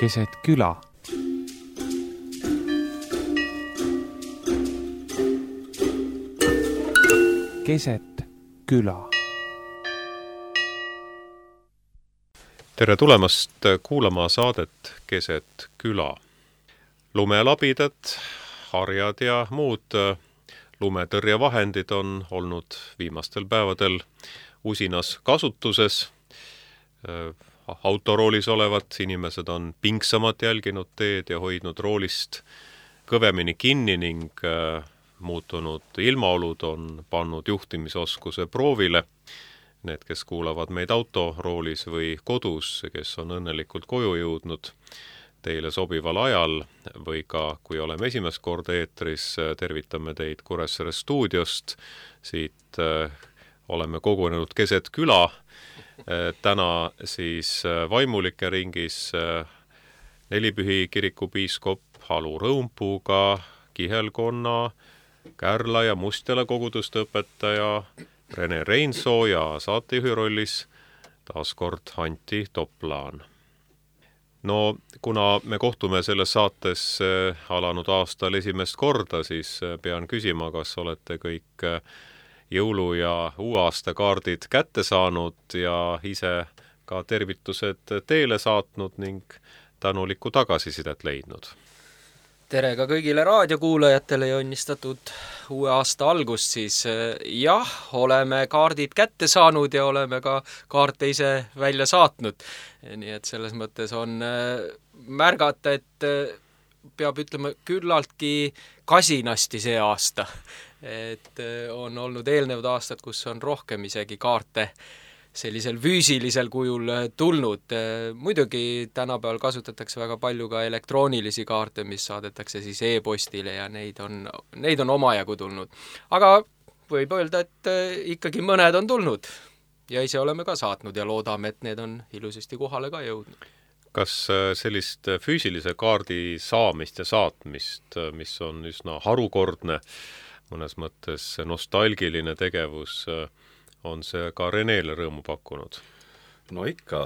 keset küla. Keset küla. Tere tulemast kuulama saadet Keset küla. Lumelabidad, harjad ja muud lumetõrjevahendid on olnud viimastel päevadel usinas kasutuses. Autoroolis olevad inimesed on pingsamalt jälginud teed ja hoidnud roolist kõvemini kinni ning muutunud ilmaolud on pannud juhtimisoskuse proovile. Need, kes kuulavad meid autoroolis või kodus, kes on õnnelikult koju jõudnud teile sobival ajal või ka, kui oleme esimest korda eetris, tervitame teid Kuressaare stuudiost. Siit oleme kogunenud keset küla. Täna siis vaimulike ringis Nelipühi kiriku piiskop Halu Rõumpuuga, Kihelkonna, Kärla ja Mustjala koguduste õpetaja Rene Reinsoo ja saatejuhi rollis taaskord Anti Toplaan. No, kuna me kohtume selles saates alanud aastal esimest korda, siis pean küsima, kas olete kõik jõulu- ja uueaasta kaardid kätte saanud ja ise ka tervitused teele saatnud ning tänulikku tagasisidet leidnud. Tere ka kõigile raadiokuulajatele ja õnnistatud uue aasta algust siis. Jah, oleme kaardid kätte saanud ja oleme ka kaarte ise välja saatnud. Nii et selles mõttes on märgata, et peab ütlema küllaltki kasinasti see aasta. Et on olnud eelnevad aastad, kus on rohkem isegi kaarte sellisel füüsilisel kujul tulnud. Muidugi tänapäeval kasutatakse väga palju ka elektroonilisi kaarte, mis saadetakse siis e-postile ja neid on omajagu tulnud. Aga võib öelda, et ikkagi mõned on tulnud ja ise oleme ka saatnud ja loodame, et need on ilusasti kohale ka jõudnud. Kas sellist füüsilise kaardi saamist ja saatmist, mis on üsna harukordne, mõnes mõttes nostalgiline tegevus, on see ka Renele rõõmu pakkunud? No ikka,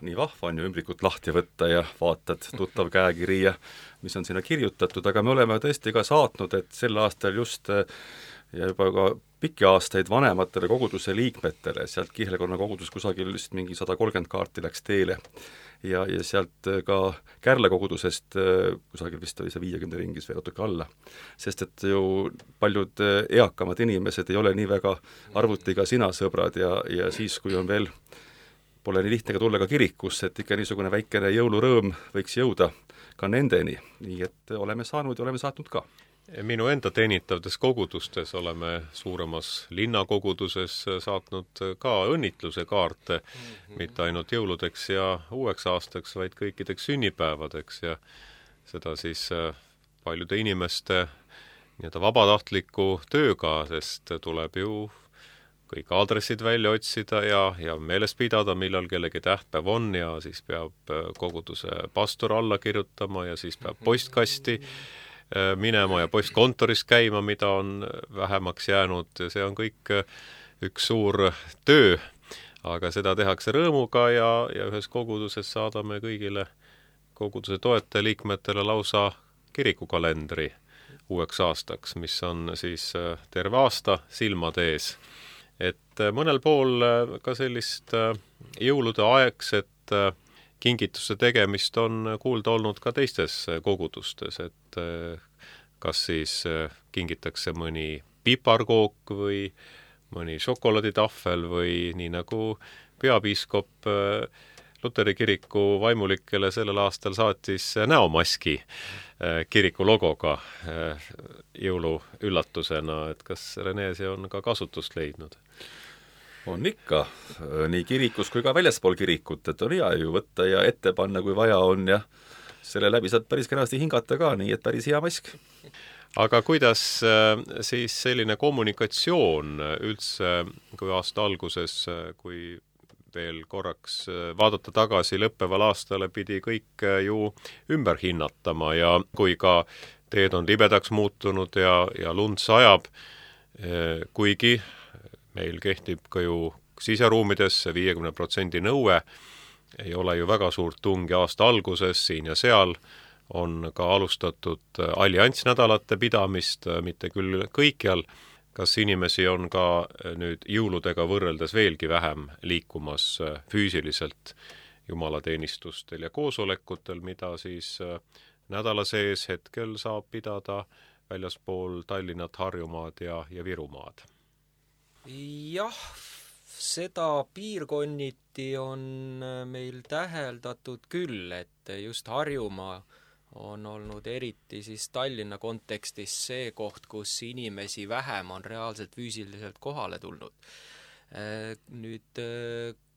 nii vahva on ju ümbrikut lahti võtta ja vaatad tuttav käekiri ja mis on sinna kirjutatud, aga me oleme tõesti ka saatnud, et sel aastal just ja juba ka pikki aastaid vanematele koguduse liikmetele, sealt Kihelkonna kogudus kusagil just mingi 130 kaarti läks teele ja sealt ka Kärla kogudusest kusagil vist oli see 50 ringis veel natuke alla. Sest et ju paljud eakamad inimesed ei ole nii väga arvutiga sina sõbrad ja siis, kui on veel, pole nii lihtne ka tulla ka kirikusse, et ikka niisugune väikene jõulurõõm võiks jõuda ka nendeni. Nii et oleme saanud ja oleme saatnud ka. Minu enda teenitavdes kogudustes oleme suuremas linnakoguduses saatnud ka õnnitluse kaarte, mitte ainult jõuludeks ja uueks aastaks, vaid kõikideks sünnipäevadeks ja seda siis paljude inimeste vabatahtliku tööga, sest tuleb ju kõik aadressid välja otsida ja meeles pidada, millal kellegi tähtpäev on ja siis peab koguduse pastor alla kirjutama ja siis peab postkasti minema ja postkontoris käima, mida on vähemaks jäänud. See on kõik üks suur töö, aga seda tehakse rõõmuga ja ühes koguduses saadame kõigile koguduse toetajaliikmetele lausa kirikukalendri uueks aastaks, mis on siis terve aasta silmade ees. Et mõnel pool ka sellist jõulude aegset kingituste tegemist on kuulda olnud ka teistes kogudustes, et kas siis kingitakse mõni piparkook või mõni šokolaaditahvel või nii nagu peapiiskop Luteri kiriku vaimulikele sellel aastal saatis näomaski kiriku logoga jõuluüllatusena, et kas Rene see on ka kasutust leidnud? On ikka, nii kirikus kui ka väljaspool kirikut, et on hea ju võtta ja ette panna, kui vaja on ja selle läbi saad päris kenasti hingata ka, nii et päris hea mask. Aga kuidas siis selline kommunikatsioon üldse, kui aasta alguses, kui veel korraks vaadata tagasi lõppeval aastale, pidi kõik ju ümber hinnatama ja kui ka teed on libedaks muutunud ja lund sajab, kuigi meil kehtib ka ju siseruumides 50% nõue, ei ole ju väga suurt tungi aasta alguses, siin ja seal on ka alustatud alliansnädalate pidamist, mitte küll kõikjal. Kas inimesi on ka nüüd jõuludega võrreldes veelgi vähem liikumas füüsiliselt jumalateenistustel ja koosolekutel, mida siis nädala sees hetkel saab pidada väljaspool Tallinnat, Harjumaad ja Virumaad? Jah, seda piirkonniti on meil täheldatud küll, et just Harjumaa on olnud eriti siis Tallinna kontekstis see koht, kus inimesi vähem on reaalselt füüsiliselt kohale tulnud. Nüüd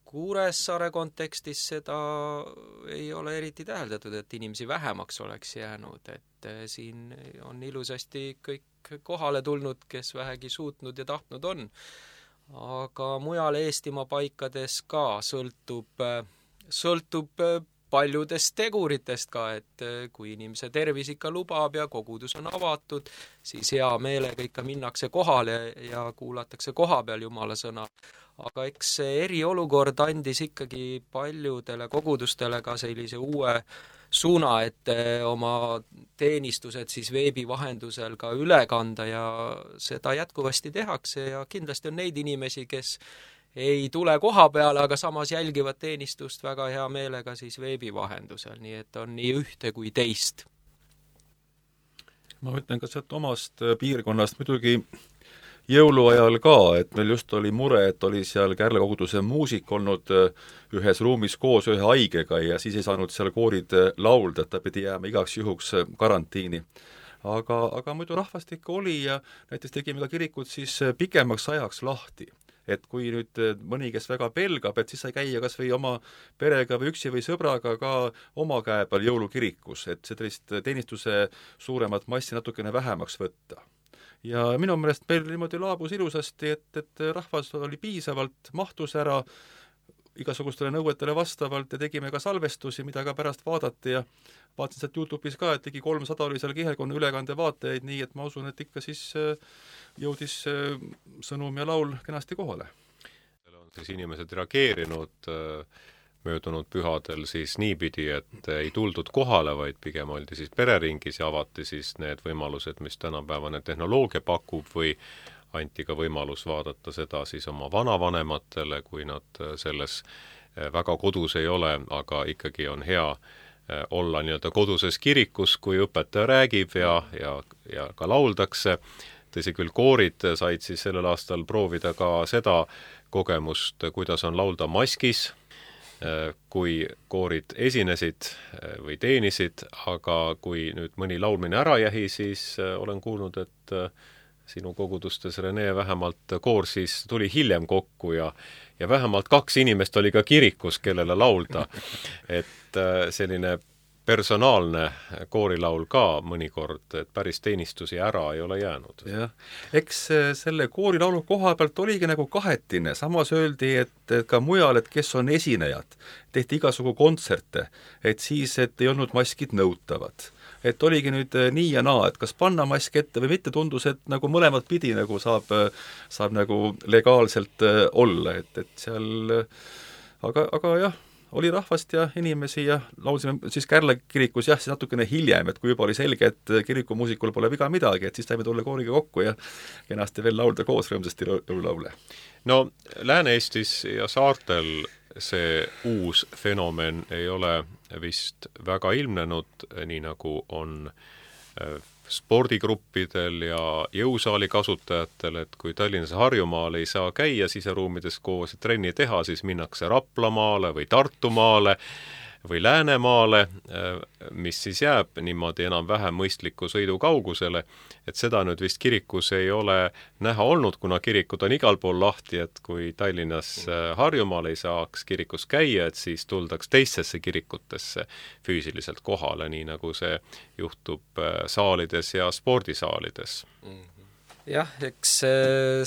Kuressaare kontekstis seda ei ole eriti täheldatud, et inimesi vähemaks oleks jäänud, et siin on ilusasti kõik kohale tulnud, kes vähegi suutnud ja tahtnud on. Aga mujal Eestimaa paikades ka sõltub paljudest teguritest ka, et kui inimese tervis ikka lubab ja kogudus on avatud, siis hea meelega ikka minnakse kohale ja kuulatakse koha peal Jumala sõna. Aga eks see eriolukord andis ikkagi paljudele kogudustele ka sellise uue suuna, et oma teenistused siis veebi vahendusel ka üle kanda ja seda jätkuvasti tehakse ja kindlasti on neid inimesi, kes ei tule koha peale, aga samas jälgivad teenistust väga hea meelega siis veebi vahendusel, nii et on nii ühte kui teist. Ma ütlen ka sealt omast piirkonnast muidugi jõuluajal ka, et meil just oli mure, et oli seal Kärle koguduse muusik olnud ühes ruumis koos ühe haigega ja siis ei saanud seal koorid laulda, et ta pidi jääma igaks juhuks karantiini. Aga muidu rahvastik oli ja näiteks tegime ka kirikud siis pikemaks ajaks lahti. Et kui nüüd mõni, kes väga pelgab, et siis sai käia kas või oma perega või üksi või sõbraga ka oma käe peal jõulukirikus, et sellist teenistuse suuremat massi natukene vähemaks võtta. Ja minu meelest meil niimoodi laabus ilusasti, et rahvas oli piisavalt, mahtus ära igasugustele nõuetele vastavalt ja tegime ka salvestusi, mida ka pärast vaadati ja vaatasin sealt YouTube'is ka, et ligi 300 oli seal kihelkonna ülekande vaatajaid, nii et ma usun, et ikka siis jõudis sõnum ja laul kenasti kohale. On siis inimesed reageerinud möödunud pühadel siis niipidi, et ei tuldud kohale, vaid pigem oldi siis pereringis ja avati siis need võimalused, mis tänapäevane tehnoloogia pakub või anti ka võimalus vaadata seda siis oma vanavanematele, kui nad selles väga kodus ei ole, aga ikkagi on hea olla nii-öelda koduses kirikus, kui õpetaja räägib ja ka lauldakse. Tõsi küll, koorid said siis sellel aastal proovida ka seda kogemust, kuidas on laulda maskis, kui koorid esinesid või teenisid, aga kui nüüd mõni laulmine ära jäi, siis olen kuulnud, et sinu kogudustes, Rene, vähemalt koor siis tuli hiljem kokku ja vähemalt 2 inimest oli ka kirikus, kellele laulda. Et selline personaalne koorilaul ka mõnikord, et päris teenistusi ära ei ole jäänud. Jah, eks selle koorilaulu koha pealt oligi nagu kahetine, samas öeldi, et ka mujal, et kes on esinejad, tehti igasugu kontserte, et siis, et ei olnud maskid nõutavad. Et oligi nüüd nii ja naa, et kas panna mask ette või mitte, tundus, et nagu mõlemat pidi nagu saab nagu legaalselt olla, et seal aga jah, oli rahvast ja inimesi ja laulsime siis Kärle kirikus jah, siis natukene hiljem, et kui juba oli selge, et kirikumuusikul pole viga midagi, et siis saime tulla kooriga kokku ja kenasti veel laulda koos rõõmsasti laule. No Lääne-Eestis ja saartel see uus fenomen ei ole vist väga ilmnenud, nii nagu on spordigruppidel ja jõusaali kasutajatel, et kui Tallinnas ja Harjumaal ei saa käia siseruumides koos ja trenni teha, siis minnakse Raplamaale või Tartumaale või Läänemaale, mis siis jääb niimoodi enam-vähem mõistliku sõidu kaugusele, et seda nüüd vist kirikus ei ole näha olnud, kuna kirikud on igal pool lahti, et kui Tallinnas Harjumaal ei saaks kirikus käia, et siis tuldaks teistesse kirikutesse füüsiliselt kohale, nii nagu see juhtub saalides ja spordisaalides. Jah, eks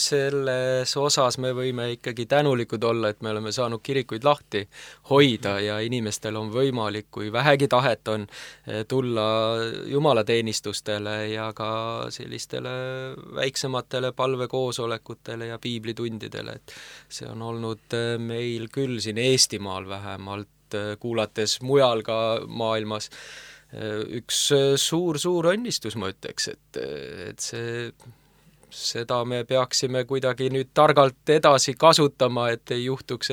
selles osas me võime ikkagi tänulikud olla, et me oleme saanud kirikuid lahti hoida ja inimestel on võimalik, kui vähegi tahet on, tulla jumalateenistustele ja ka sellistele väiksematele palvekoosolekutele ja piiblitundidele, et see on olnud meil küll siin Eestimaal vähemalt et kuulates mujal ka maailmas üks suur õnnistus, ma ütleks, et seda me peaksime kuidagi nüüd targalt edasi kasutama, et ei juhtuks,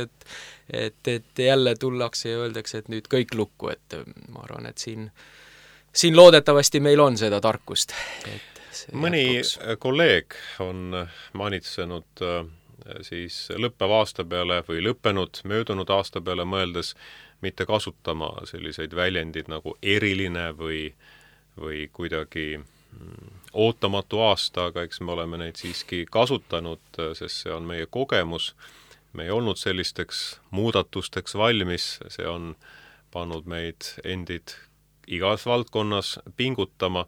et jälle tullakse ja öeldakse, et nüüd kõik lukku, et ma arvan, et siin loodetavasti meil on seda tarkust. Mõni kolleeg on manitsenud siis lõppeva aasta peale või möödunud aasta peale mõeldes mitte kasutama selliseid väljendid nagu eriline või kuidagi ootamatu aasta, aga eks me oleme neid siiski kasutanud, sest see on meie kogemus. Me ei olnud sellisteks muudatusteks valmis, see on pannud meid endid igas valdkonnas pingutama.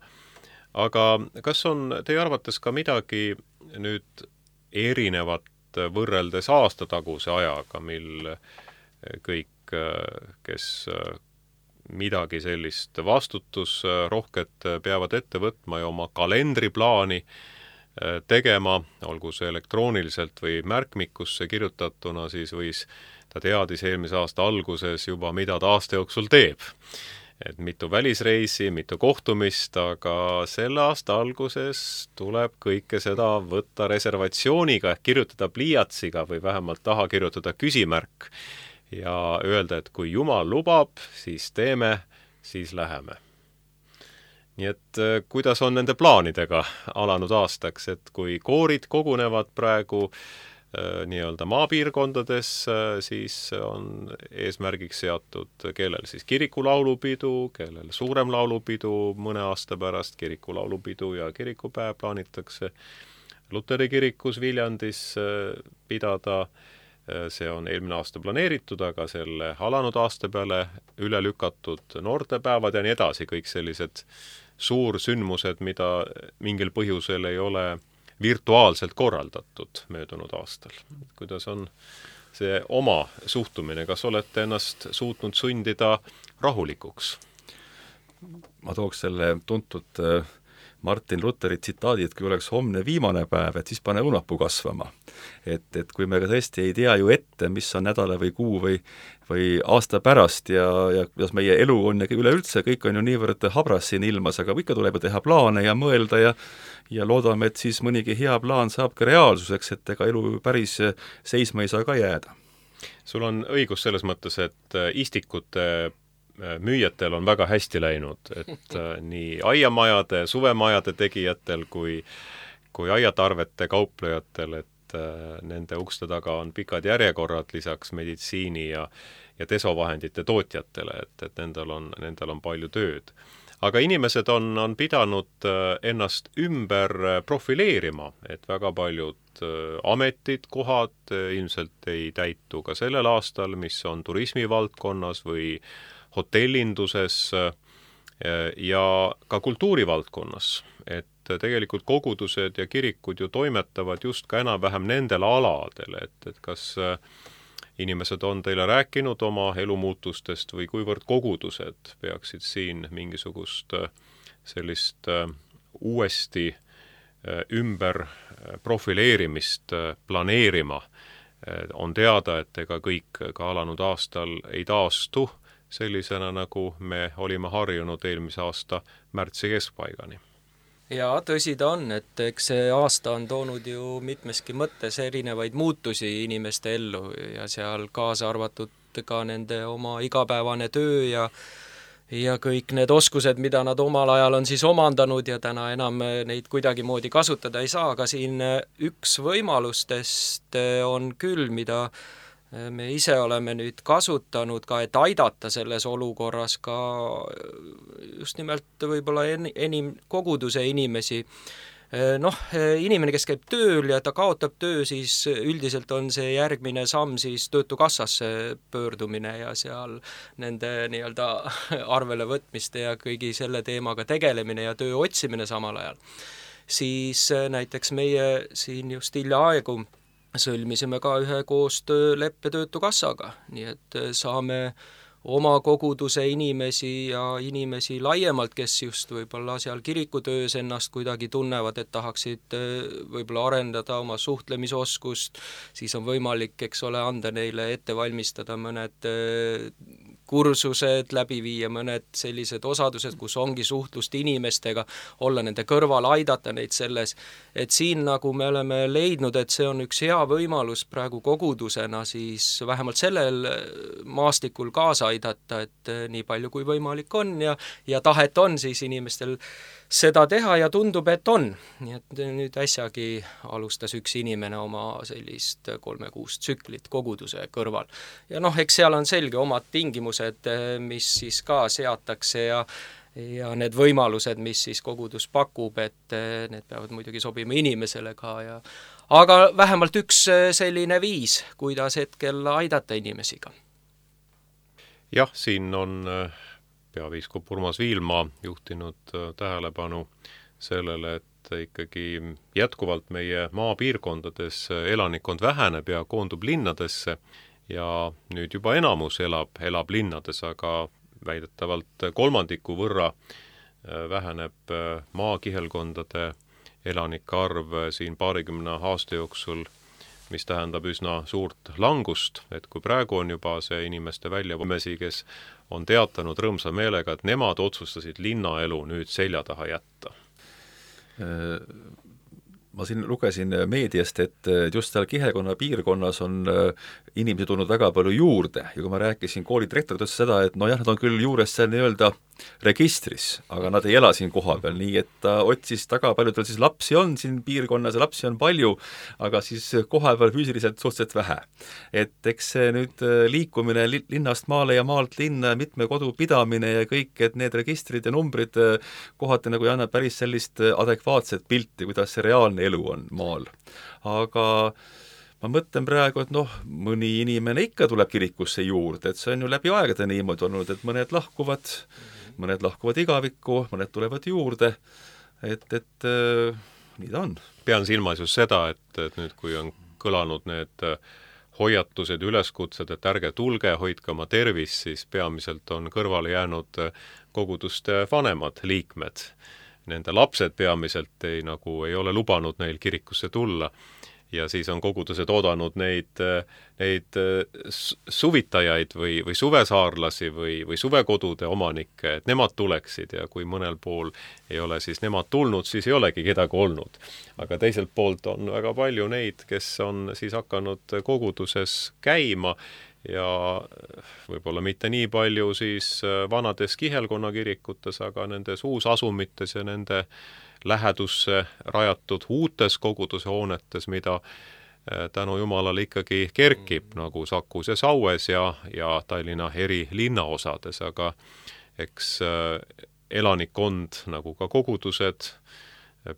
Aga kas on teie arvates ka midagi nüüd erinevat võrreldes aastataguse ajaga, mil kõik, kes midagi sellist vastutusrohket peavad ette võtma ja oma kalendriplaani tegema, olgu see elektrooniliselt või märkmikusse kirjutatuna, siis ta teadis eelmise aasta alguses juba, mida ta aasta jooksul teeb. Et mitu välisreisi, mitu kohtumist, aga selle aasta alguses tuleb kõike seda võtta reservatsiooniga, kirjutada pliiatsiga või vähemalt taha kirjutada küsimärk ja öelda, et kui Jumal lubab, siis teeme, siis läheme. Nii et kuidas on nende plaanidega alanud aastaks, et kui koorid kogunevad praegu nii-öelda maapiirkondades, siis on eesmärgiks seatud, kellel siis kirikulaulupidu, kellel suurem laulupidu mõne aasta pärast, kirikulaulupidu ja kirikupäev plaanitakse Luteri kirikus Viljandis pidada. See on eelmine aasta planeeritud, aga selle alanud aasta peale üle lükatud noortepäevad ja nii edasi, kõik sellised suursündmused, mida mingil põhjusel ei ole virtuaalselt korraldatud möödunud aastal. Kuidas on see oma suhtumine, kas olete ennast suutnud sundida rahulikuks? Ma tooks selle tuntud Martin Luteri tsitaadi, et kui oleks homne viimane päev, et siis pane õunapuu kasvama. Et kui me ka tõesti ei tea ju ette, mis on nädala või kuu või aasta pärast ja kuidas meie elu on ja üleüldse, kõik on ju niivõrd habras siin ilmas, aga ikka tuleb teha plaane ja mõelda ja loodame, et siis mõnigi hea plaan saab ka reaalsuseks, et ega elu päris seisma ei saa ka jääda. Sul on õigus selles mõttes, et istikute müüjatel on väga hästi läinud, et nii aiamajade, suvemajade tegijatel kui aiatarvete kauplejatel, et nende ukste taga on pikad järjekorrad lisaks meditsiini ja desovahendite tootjatele, et nendel on palju tööd. Aga inimesed on pidanud ennast ümber profileerima, et väga paljud ametid, kohad ilmselt ei täitu ka sellel aastal, mis on turismivaldkonnas või hotellinduses ja ka kultuurivaldkonnas, et tegelikult kogudused ja kirikud ju toimetavad just ka enam-vähem nendel aladel, et kas inimesed on teile rääkinud oma elumuutustest või kuivõrd kogudused peaksid siin mingisugust sellist uuesti ümber profileerimist planeerima. On teada, et ega kõik ka alanud aastal ei taastu sellisena, nagu me olime harjunud eelmise aasta märtsi keskpaigani. Ja tõsi ta on, et eks see aasta on toonud ju mitmeski mõttes erinevaid muutusi inimeste ellu ja seal kaasa arvatud ka nende oma igapäevane töö ja kõik need oskused, mida nad omal ajal on siis omandanud ja täna enam neid kuidagimoodi kasutada ei saa, aga siin üks võimalustest on küll, mida me ise oleme nüüd kasutanud ka, et aidata selles olukorras ka just nimelt võib-olla enim koguduse inimesi. Inimene, kes käib tööl ja ta kaotab töö, siis üldiselt on see järgmine samm siis töötukassasse pöördumine ja seal nende nii-öelda arvele võtmiste ja kõigi selle teemaga tegelemine ja töö otsimine samal ajal. Siis näiteks meie siin just hiljaaegu sõlmisime ka ühe koostööleppe töötukassaga, nii et saame oma koguduse inimesi ja inimesi laiemalt, kes just võib-olla seal kirikutöös ennast kuidagi tunnevad, et tahaksid võib-olla arendada oma suhtlemisoskust, siis on võimalik, eks ole, anda neile ette valmistada mõned kursused, läbi viia mõned sellised osadused, kus ongi suhtlust inimestega, olla nende kõrval, aidata neid selles, et siin nagu me oleme leidnud, et see on üks hea võimalus praegu kogudusena siis vähemalt sellel maastikul kaasa aidata, et nii palju kui võimalik on ja tahet on siis inimestel seda teha ja tundub, et on. Nii et nüüd äsjagi alustas üks inimene oma sellist 3 kuust tsüklit koguduse kõrval. Ja eks seal on selge omad tingimused, mis siis ka seatakse ja need võimalused, mis siis kogudus pakub, et need peavad muidugi sobima inimesele ka aga vähemalt üks selline viis, kuidas hetkel aidata inimesi ka. Jah, siin on peapiiskop Urmas Viilma juhtinud tähelepanu sellele, et ikkagi jätkuvalt meie maapiirkondades elanikkond väheneb ja koondub linnadesse ja nüüd juba enamus elab linnades, aga väidetavalt 3% võrra väheneb maakihelkondade elanike arv siin 20 aasta jooksul, mis tähendab üsna suurt langust, et kui praegu on juba see inimeste väljavõmesi, kes on teatanud rõõmsa meelega, et nemad otsustasid linnaelu nüüd selja taha jätta. Ma siin lugesin meediast, et just seal kihelkonna piirkonnas on inimesi tulnud väga palju juurde ja kui ma rääkisin koolidirektorit seda, et jah, nad on küll juures seal nii-öelda registris, aga nad ei ela siin koha peal, nii et ta otsis taga, palju tal siis lapsi on siin piirkonnas ja lapsi on palju, aga siis koha peal füüsiliselt suhteliselt vähe. Et eks see nüüd liikumine linnast maale ja maalt linna, mitme kodu pidamine ja kõik, et need registrid ja numbrid kohati nagu ei anna päris sellist adekvaatset pilti, kuidas see reaalne elu on maal. Aga ma mõtlen praegu, et mõni inimene ikka tuleb kirikusse juurde, et see on ju läbi aegade niimoodi olnud, et mõned lahkuvad igavikku, mõned tulevad juurde, et nii ta on. Pean silmas just seda, et nüüd kui on kõlanud need hoiatused, üleskutsed, et ärge tulge, hoidke oma tervis, siis peamiselt on kõrvale jäänud koguduste vanemad liikmed. Nende lapsed peamiselt ei ole lubanud neil kirikusse tulla ja siis on kogudused oodanud neid suvitajaid või suvesaarlasi või suvekodude omanikke, et nemad tuleksid ja kui mõnel pool ei ole siis nemad tulnud, siis ei olegi kedagi olnud. Aga teiselt poolt on väga palju neid, kes on siis hakanud koguduses käima ja võib-olla mitte nii palju siis vanades kihelkonnakirikutes, aga nendes uusasumites ja nende lähedusse rajatud uutes koguduse hoonetes, mida tänu Jumalale ikkagi kerkib, nagu Sakus ja Saues ja Tallinna eri linnaosades, aga eks elanikkond, nagu ka kogudused,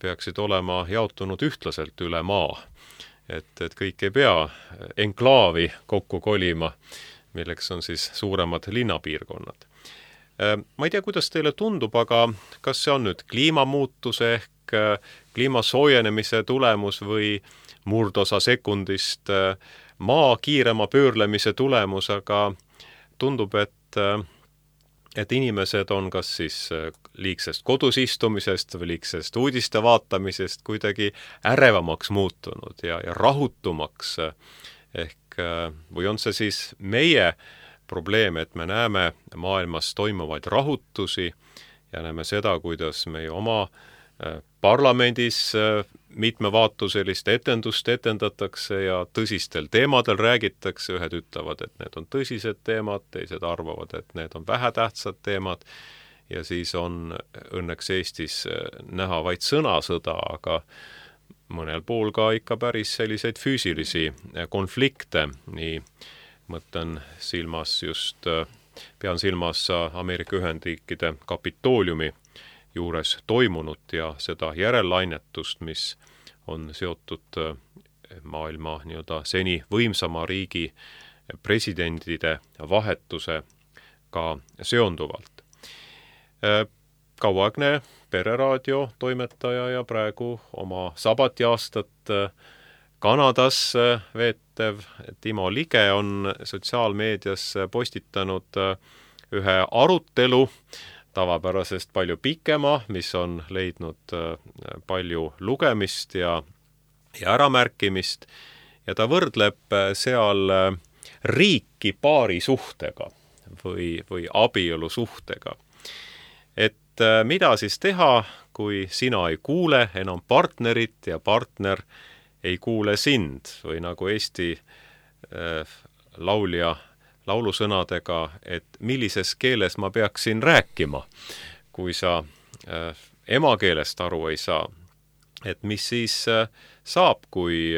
peaksid olema jaotunud ühtlaselt üle maa. Et kõik ei pea enklaavi kokku kolima, milleks on siis suuremad linnapiirkonnad. Ma ei tea, kuidas teile tundub, aga kas see on nüüd kliimamuutuse ehk kliima soojenemise tulemus või murdosa sekundist maa kiirema pöörlemise tulemus, aga tundub, et inimesed on kas siis liigsest kodus istumisest või liigsest uudiste vaatamisest kuidagi ärevamaks muutunud ja rahutumaks. Ehk või on see siis meie probleem, et me näeme maailmas toimuvaid rahutusi ja näeme seda, kuidas meie oma parlamendis mitmevaatuselist etendust etendatakse ja tõsistel teemadel räägitakse, ühed ütlevad, et need on tõsised teemad, teised arvavad, et need on vähetähtsad teemad ja siis on õnneks Eestis näha vaid sõnasõda, aga mõnel pool ka ikka päris selliseid füüsilisi konflikte, nii mõtlen pean silmas Ameerika Ühendriikide Kapitooliumi juures toimunut ja seda järellainnetust, mis on seotud maailma seni võimsama riigi presidendide vahetusega seonduvalt. Kauaaegne Pereraadio toimetaja ja praegu oma sabatiaastat Kanadas veetev Timo Lige on sotsiaalmeedias postitanud ühe arutelu, tavapärasest palju pikema, mis on leidnud palju lugemist ja äramärkimist ja ta võrdleb seal riiki paari suhtega. või abielusuhtega. Et mida siis teha, kui sina ei kuule enam partnerit ja partner ei kuule sind või nagu Eesti laulja laulusõnadega, et millises keeles ma peaksin rääkima, kui sa emakeelest aru ei saa. Et mis siis saab, kui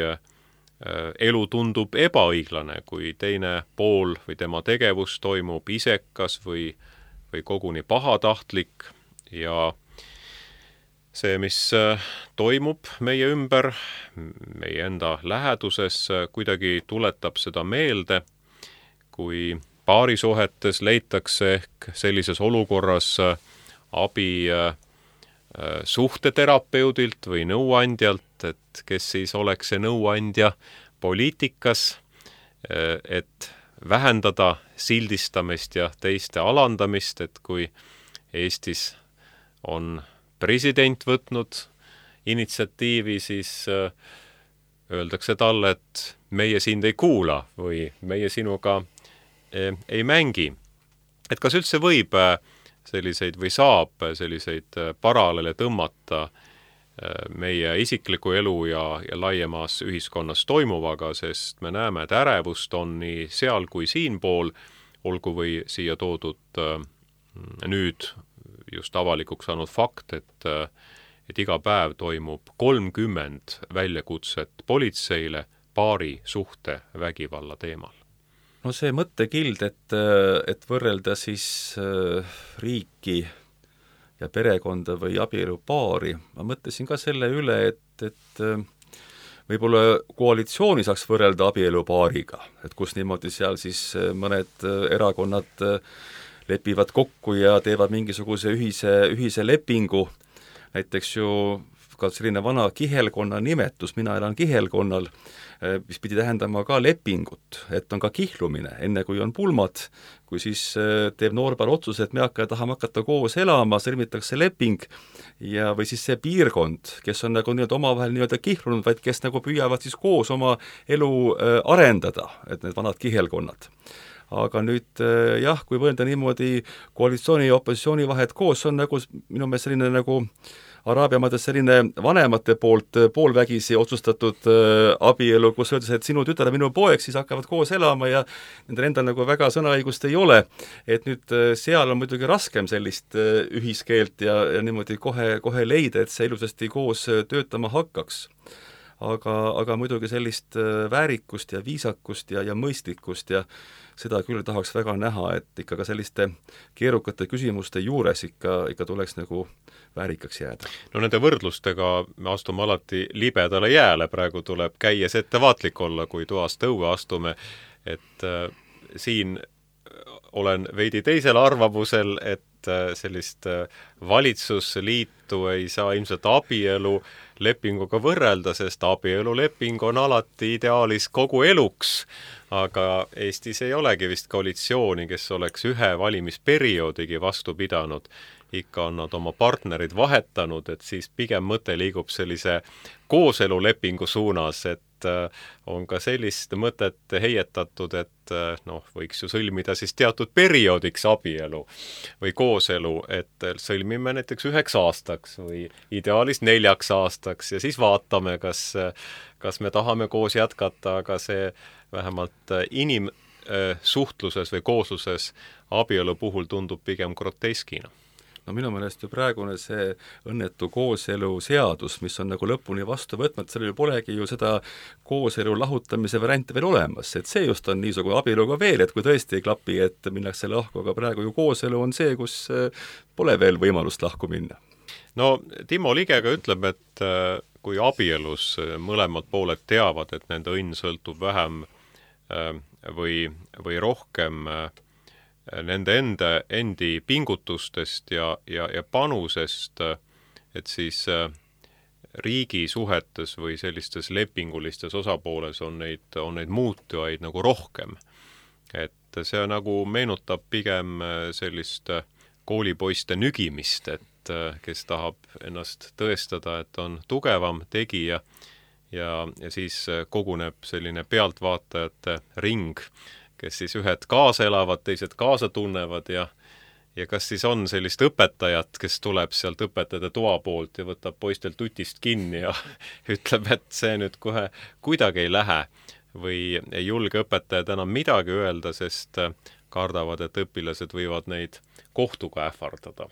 elu tundub ebaõiglane, kui teine pool või tema tegevus toimub isekas või koguni pahatahtlik ja see, mis toimub meie ümber, meie enda läheduses, kuidagi tuletab seda meelde, kui paarisuhetes leitakse ehk sellises olukorras abi suhteterapeudilt või nõuandjalt, et kes siis oleks see nõuandja poliitikas, et vähendada sildistamist ja teiste alandamist, et kui Eestis on president võtnud initsiatiivi, siis öeldakse talle, et meie sind ei kuula või meie sinuga ei mängi. Et kas üldse võib selliseid või saab selliseid paralleele tõmmata meie isikliku elu ja laiemas ühiskonnas toimuvaga, sest me näeme, et ärevust on nii seal kui siinpool, olgu või siia toodud nüüd just avalikuks saanud fakt, et iga päev toimub 30 väljakutset politseile paari suhte vägivalla teemal. No see mõttekild, et võrrelda siis riiki ja perekonda või abielupaari, ma mõtlesin ka selle üle, et võib-olla koalitsiooni saaks võrrelda abielupaariga, et kus niimoodi seal siis mõned erakonnad lepivad kokku ja teevad mingisuguse ühise lepingu, näiteks ju ka selline vana kihelkonna nimetus, mina elan kihelkonnal, mis pidi tähendama ka lepingut, et on ka kihlumine, enne kui on pulmad, kui siis teeb noorpäev otsuse, et me tahame hakata koos elama, sõlmitakse leping ja või siis see piirkond, kes on nagu nii-öelda omavahel nii-öelda kihlunud, vaid kes nagu püüavad siis koos oma elu arendada, et need vanad kihelkonnad. Aga nüüd jah, kui võrrelda niimoodi koalitsiooni ja opositsiooni vahet koos, on nagu minu meelest selline nagu Araabia maades selline vanemate poolt poolvägisi otsustatud abielu, kus öeldes, et sinu tütar ja minu poeg siis hakkavad koos elama ja nendel endal nagu väga sõnaõigust ei ole. Et nüüd seal on muidugi raskem sellist ühiskeelt ja niimoodi kohe leida, et see ilusasti koos töötama hakkaks. Aga muidugi sellist väärikust ja viisakust ja mõistlikkust ja seda küll tahaks väga näha, et ikka ka selliste keerukate küsimuste juures ikka tuleks nagu väärikaks jääda. No nende võrdlustega me astume alati libedale jääle, praegu tuleb käies ettevaatlik olla, kui toast õue astume, et siin olen veidi teisel arvamusel, et sellist valitsusliitu ei saa ilmselt abielu lepinguga võrrelda, sest abieluleping on alati ideaalis kogu eluks, aga Eestis ei olegi vist koalitsiooni, kes oleks ühe valimisperioodigi vastu pidanud. Ikka on nad oma partnerid vahetanud, et siis pigem mõte liigub sellise kooselulepingu suunas, et on ka sellist mõtet heietatud, et võiks ju sõlmida siis teatud perioodiks abielu või kooselu, et sõlmime näiteks 9 aastaks või ideaalis 4 aastaks ja siis vaatame, kas me tahame koos jätkata, aga see vähemalt inimsuhtluses või koosluses abielu puhul tundub pigem groteskina. No minu meelest ju praegune see õnnetu kooselu seadus, mis on nagu lõpuni vastu võtmata, sellel polegi ju seda kooselu lahutamise varianti veel olemas, et see just on niisugune abieluga veel, et kui tõesti ei klapi, et minnakse lahku, aga praegu ju kooselu on see, kus pole veel võimalust lahku minna. No Timo Ligega ütleb, et kui abielus mõlemad pooled teavad, et nende õnn sõltub vähem või rohkem nende endi pingutustest ja panusest, et siis riigi suhetes või sellistes lepingulistes osapooles on neid muutujaid nagu rohkem. Et see nagu meenutab pigem sellist koolipoiste nügimist, et kes tahab ennast tõestada, et on tugevam tegija ja siis koguneb selline pealtvaatajate ring, kes siis ühed kaasa elavad, teised kaasa tunnevad ja kas siis on sellist õpetajat, kes tuleb sealt õpetajate toa poolt ja võtab poistel tutist kinni ja ütleb, et see nüüd kohe kuidagi ei lähe või ei julge õpetajad enam midagi öelda, sest kardavad, et õpilased võivad neid kohtuga ähvardada.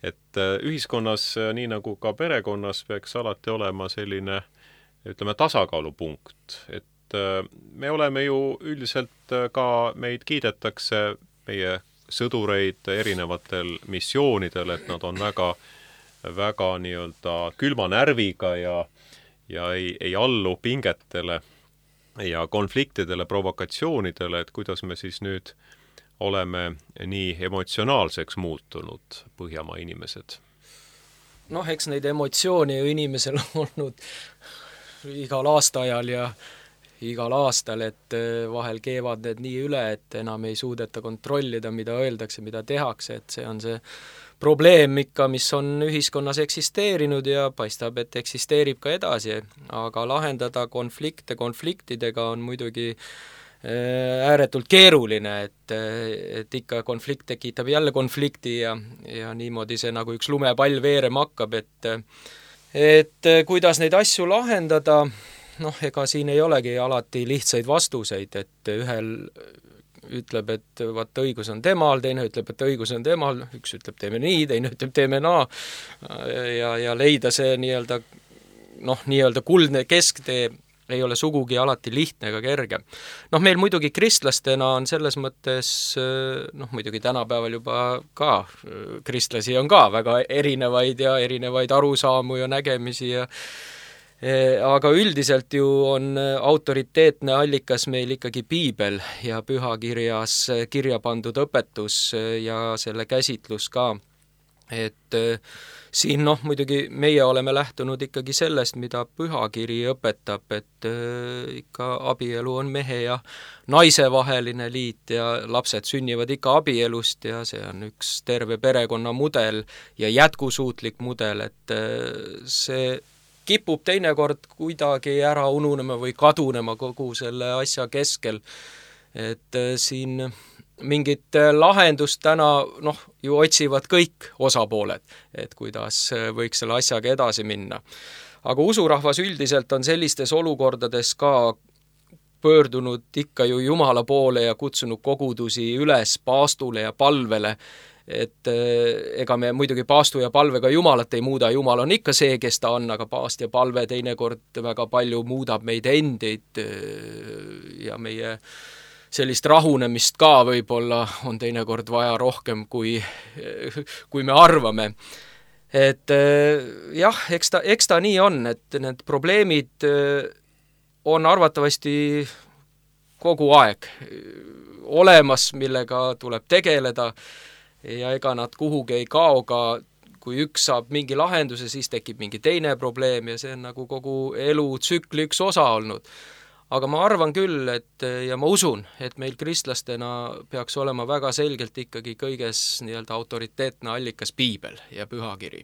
Et ühiskonnas, nii nagu ka perekonnas, peaks alati olema selline, ütleme, tasakaalupunkt, et me oleme ju üldiselt ka, meid kiidetakse meie sõdureid erinevatel missioonidel, et nad on väga nii-öelda külma närviga ja ei allu pingetele ja konfliktidele, provokatsioonidele, et kuidas me siis nüüd oleme nii emotsionaalseks muutunud Põhjamaa inimesed. Noh, eks neid emotsioone ju inimesel on olnud igal aastaajal ja igal aastal, et vahel keevad need nii üle, et enam ei suudeta kontrollida, mida öeldakse, mida tehakse, et see on see probleem ikka, mis on ühiskonnas eksisteerinud ja paistab, et eksisteerib ka edasi, aga lahendada konflikte konfliktidega on muidugi ääretult keeruline, et ikka konflikt tekitab jälle konflikti ja niimoodi see nagu üks lumepall veerema hakkab, et kuidas neid asju lahendada, noh, ega siin ei olegi alati lihtsaid vastuseid, et ühel ütleb, et vaat õigus on temal, teine ütleb, et õigus on temal, üks ütleb teeme nii, teine ütleb teeme naa ja leida see nii-öelda kuldne kesktee ei ole sugugi alati lihtne ega kerge. Noh, meil muidugi kristlastena on selles mõttes, muidugi tänapäeval juba ka kristlasi on ka väga erinevaid ja erinevaid arusaamu ja nägemisi aga üldiselt ju on autoriteetne allikas meil ikkagi piibel ja pühakirjas kirja pandud õpetus ja selle käsitlus ka. Et siin muidugi meie oleme lähtunud ikkagi sellest, mida pühakiri õpetab, et ikka abielu on mehe ja naise vaheline liit ja lapsed sünnivad ikka abielust ja see on üks terve perekonna mudel ja jätkusuutlik mudel, et see kipub teinekord kuidagi ära ununema või kadunema kogu selle asja keskel, et siin mingit lahendust täna ju otsivad kõik osapooled, et kuidas võiks selle asjaga edasi minna. Aga usurahvas üldiselt on sellistes olukordades ka pöördunud ikka ju Jumala poole ja kutsunud kogudusi üles paastule ja palvele, et ega me muidugi paastu ja palvega Jumalat ei muuda, Jumal on ikka see, kes ta on, aga paast ja palve teinekord väga palju muudab meid endid ja meie sellist rahunemist ka võib-olla on teinekord vaja rohkem, kui me arvame. Et jah, eks ta nii on, et need probleemid on arvatavasti kogu aeg olemas, millega tuleb tegeleda ja ega nad kuhugi ei kao ka, kui üks saab mingi lahenduse, siis tekib mingi teine probleem ja see on nagu kogu elutsükli üks osa olnud. Aga ma arvan küll, ja ma usun, et meil kristlastena peaks olema väga selgelt ikkagi kõiges nii-öelda autoriteetne allikas piibel ja pühakiri.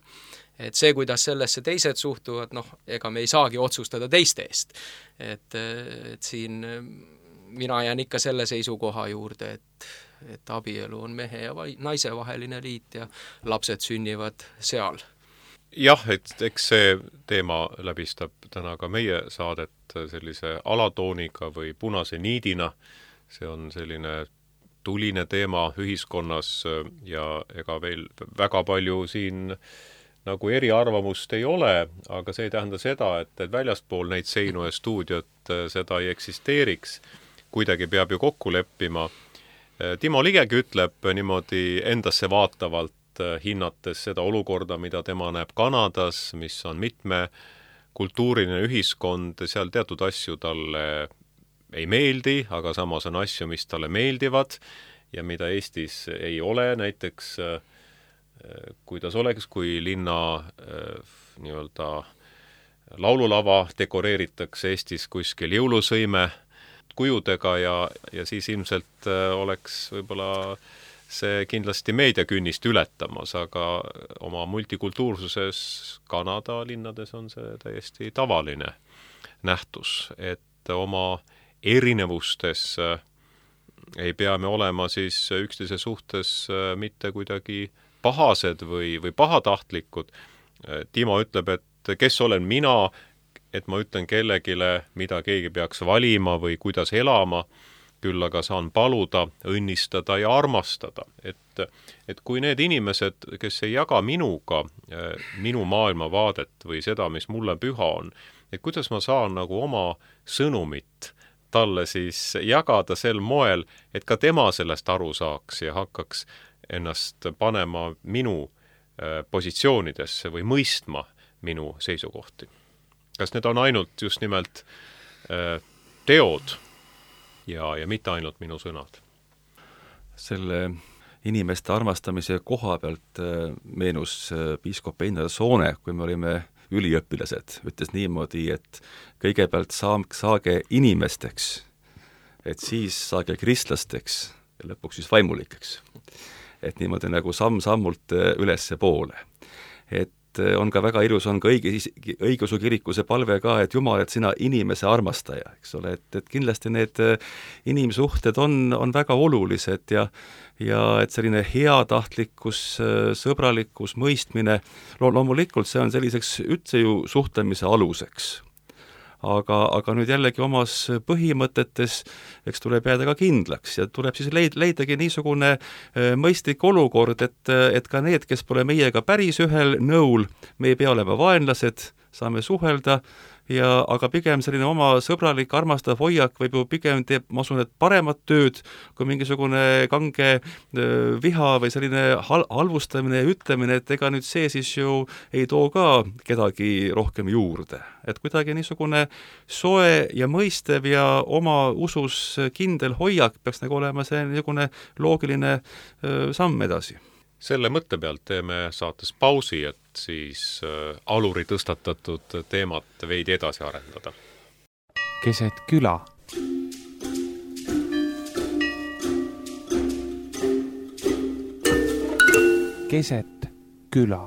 Et see, kuidas sellesse teised suhtuvad, ega me ei saagi otsustada teiste eest. Et siin mina jään ikka selle seisukoha juurde, et abielu on mehe ja naise vaheline liit ja lapsed sünnivad seal. Jah, et eks see teema läbistab täna ka meie saadet sellise alatooniga või punase niidina. See on selline tuline teema ühiskonnas ja ega veel väga palju siin nagu eriarvamust ei ole, aga see ei tähenda seda, et väljaspool neid seinu ja stuudiot seda ei eksisteeriks. Kuidagi peab ju kokku leppima. Timo Ligegi ütleb niimoodi endasse vaatavalt, hinnates seda olukorda, mida tema näeb Kanadas, mis on mitmekultuuriline ühiskond, seal teatud asju talle ei meeldi, aga samas on asju, mis talle meeldivad ja mida Eestis ei ole, näiteks kuidas oleks, kui linna nii-öelda laululava dekoreeritakse Eestis kuskil jõulusõime kujudega ja siis ilmselt oleks võib-olla see kindlasti meediakünnist ületamas, aga oma multikultuursuses Kanada linnades on see täiesti tavaline nähtus, et oma erinevustes ei pea me olema siis üksteise suhtes mitte kuidagi pahased või pahatahtlikud. Timo ütleb, et kes olen mina, et ma ütlen kellegile, mida keegi peaks valima või kuidas elama, küll aga saan paluda, õnnistada ja armastada. Et kui need inimesed, kes ei jaga minuga minu maailmavaadet või seda, mis mulle püha on, et kuidas ma saan nagu oma sõnumit talle siis jagada sel moel, et ka tema sellest aru saaks ja hakkaks ennast panema minu positsioonidesse või mõistma minu seisukohti. Kas need on ainult just nimelt teod ja mitte ainult minu sõnad? Selle inimeste armastamise koha pealt meenus piiskop Einar Soone, kui me olime üliõpilased, ütles niimoodi, et kõigepealt saage inimesteks, et siis saage kristlasteks ja lõpuks siis vaimulikeks. Et niimoodi nagu samm-sammult ülesse poole. Et on ka väga ilus, on ka õigeusu kiriku see palve ka, et Jumal, et sina inimese armastaja, eks ole, et kindlasti need inimsuhted on väga olulised ja et selline heatahtlikkus, sõbralikkus, mõistmine, loomulikult see on selliseks üldse ju suhtlemise aluseks. Aga nüüd jällegi omas põhimõtetes, eks tuleb jääda ka kindlaks ja tuleb siis leidagi niisugune mõistlik olukord, et ka need, kes pole meiega päris ühel nõul, me ei pea olema vaenlased, saame suhelda, aga pigem selline oma sõbralik, armastav hoiak võib ju pigem teeb, ma usun, et paremat tööd kui mingisugune kange viha või selline halvustamine ja ütlemine, et ega nüüd see siis ju ei too ka kedagi rohkem juurde. Et kuidagi niisugune soe ja mõistev ja oma usus kindel hoiak peaks nagu olema see niisugune loogiline samm edasi. Selle mõtte pealt teeme saates pausi, et siis Aluri tõstatatud teemat veidi edasi arendada. Keset küla. Keset küla.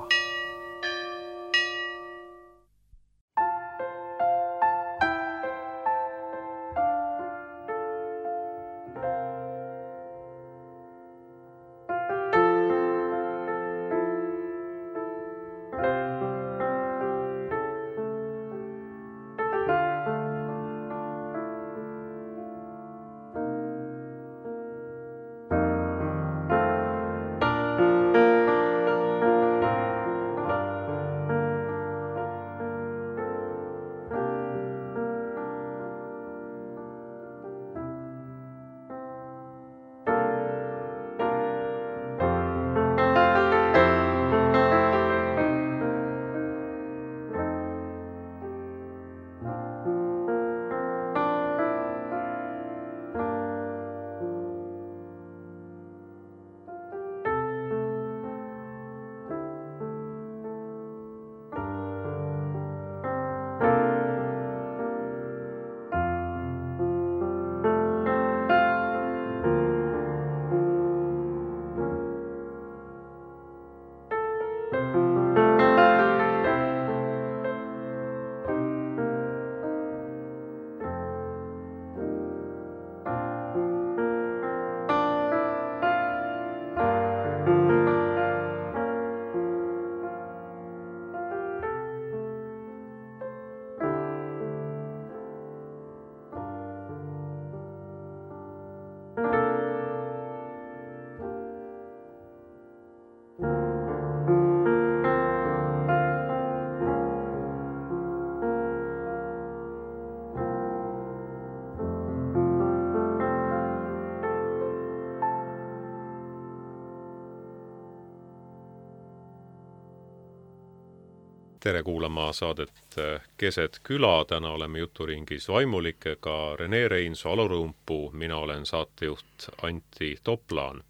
Tere kuulama saadet Keset küla, täna oleme juturingis vaimulikega Rene Reinso, Alurõumpuu, mina olen saatejuht Antti Toplaan.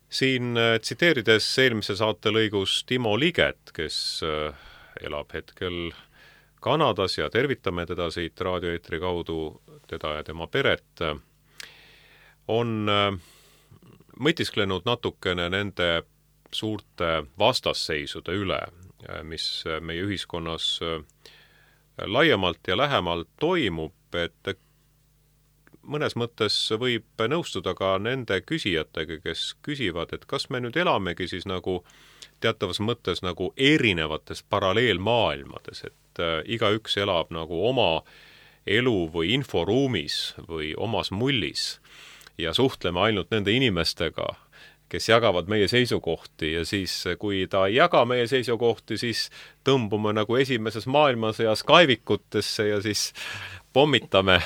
Siin tsiteerides eelmise saate lõigus Timo Liget, kes elab hetkel Kanadas ja tervitame teda siit raadioeetri kaudu, teda ja tema peret, on mõtisklenud natukene nende suurte vastasseisude üle, mis meie ühiskonnas laiemalt ja lähemalt toimub, et mõnes mõttes võib nõustuda ka nende küsijatega, kes küsivad, et kas me nüüd elamegi siis nagu teatavas mõttes nagu erinevates paralleelmaailmades, et igaüks elab nagu oma elu või inforuumis või omas mullis ja suhtleme ainult nende inimestega, kes jagavad meie seisukohti ja siis, kui ta ei jaga meie seisukohti, siis tõmbume nagu esimeses maailmasõjas kaevikutesse ja siis pommitame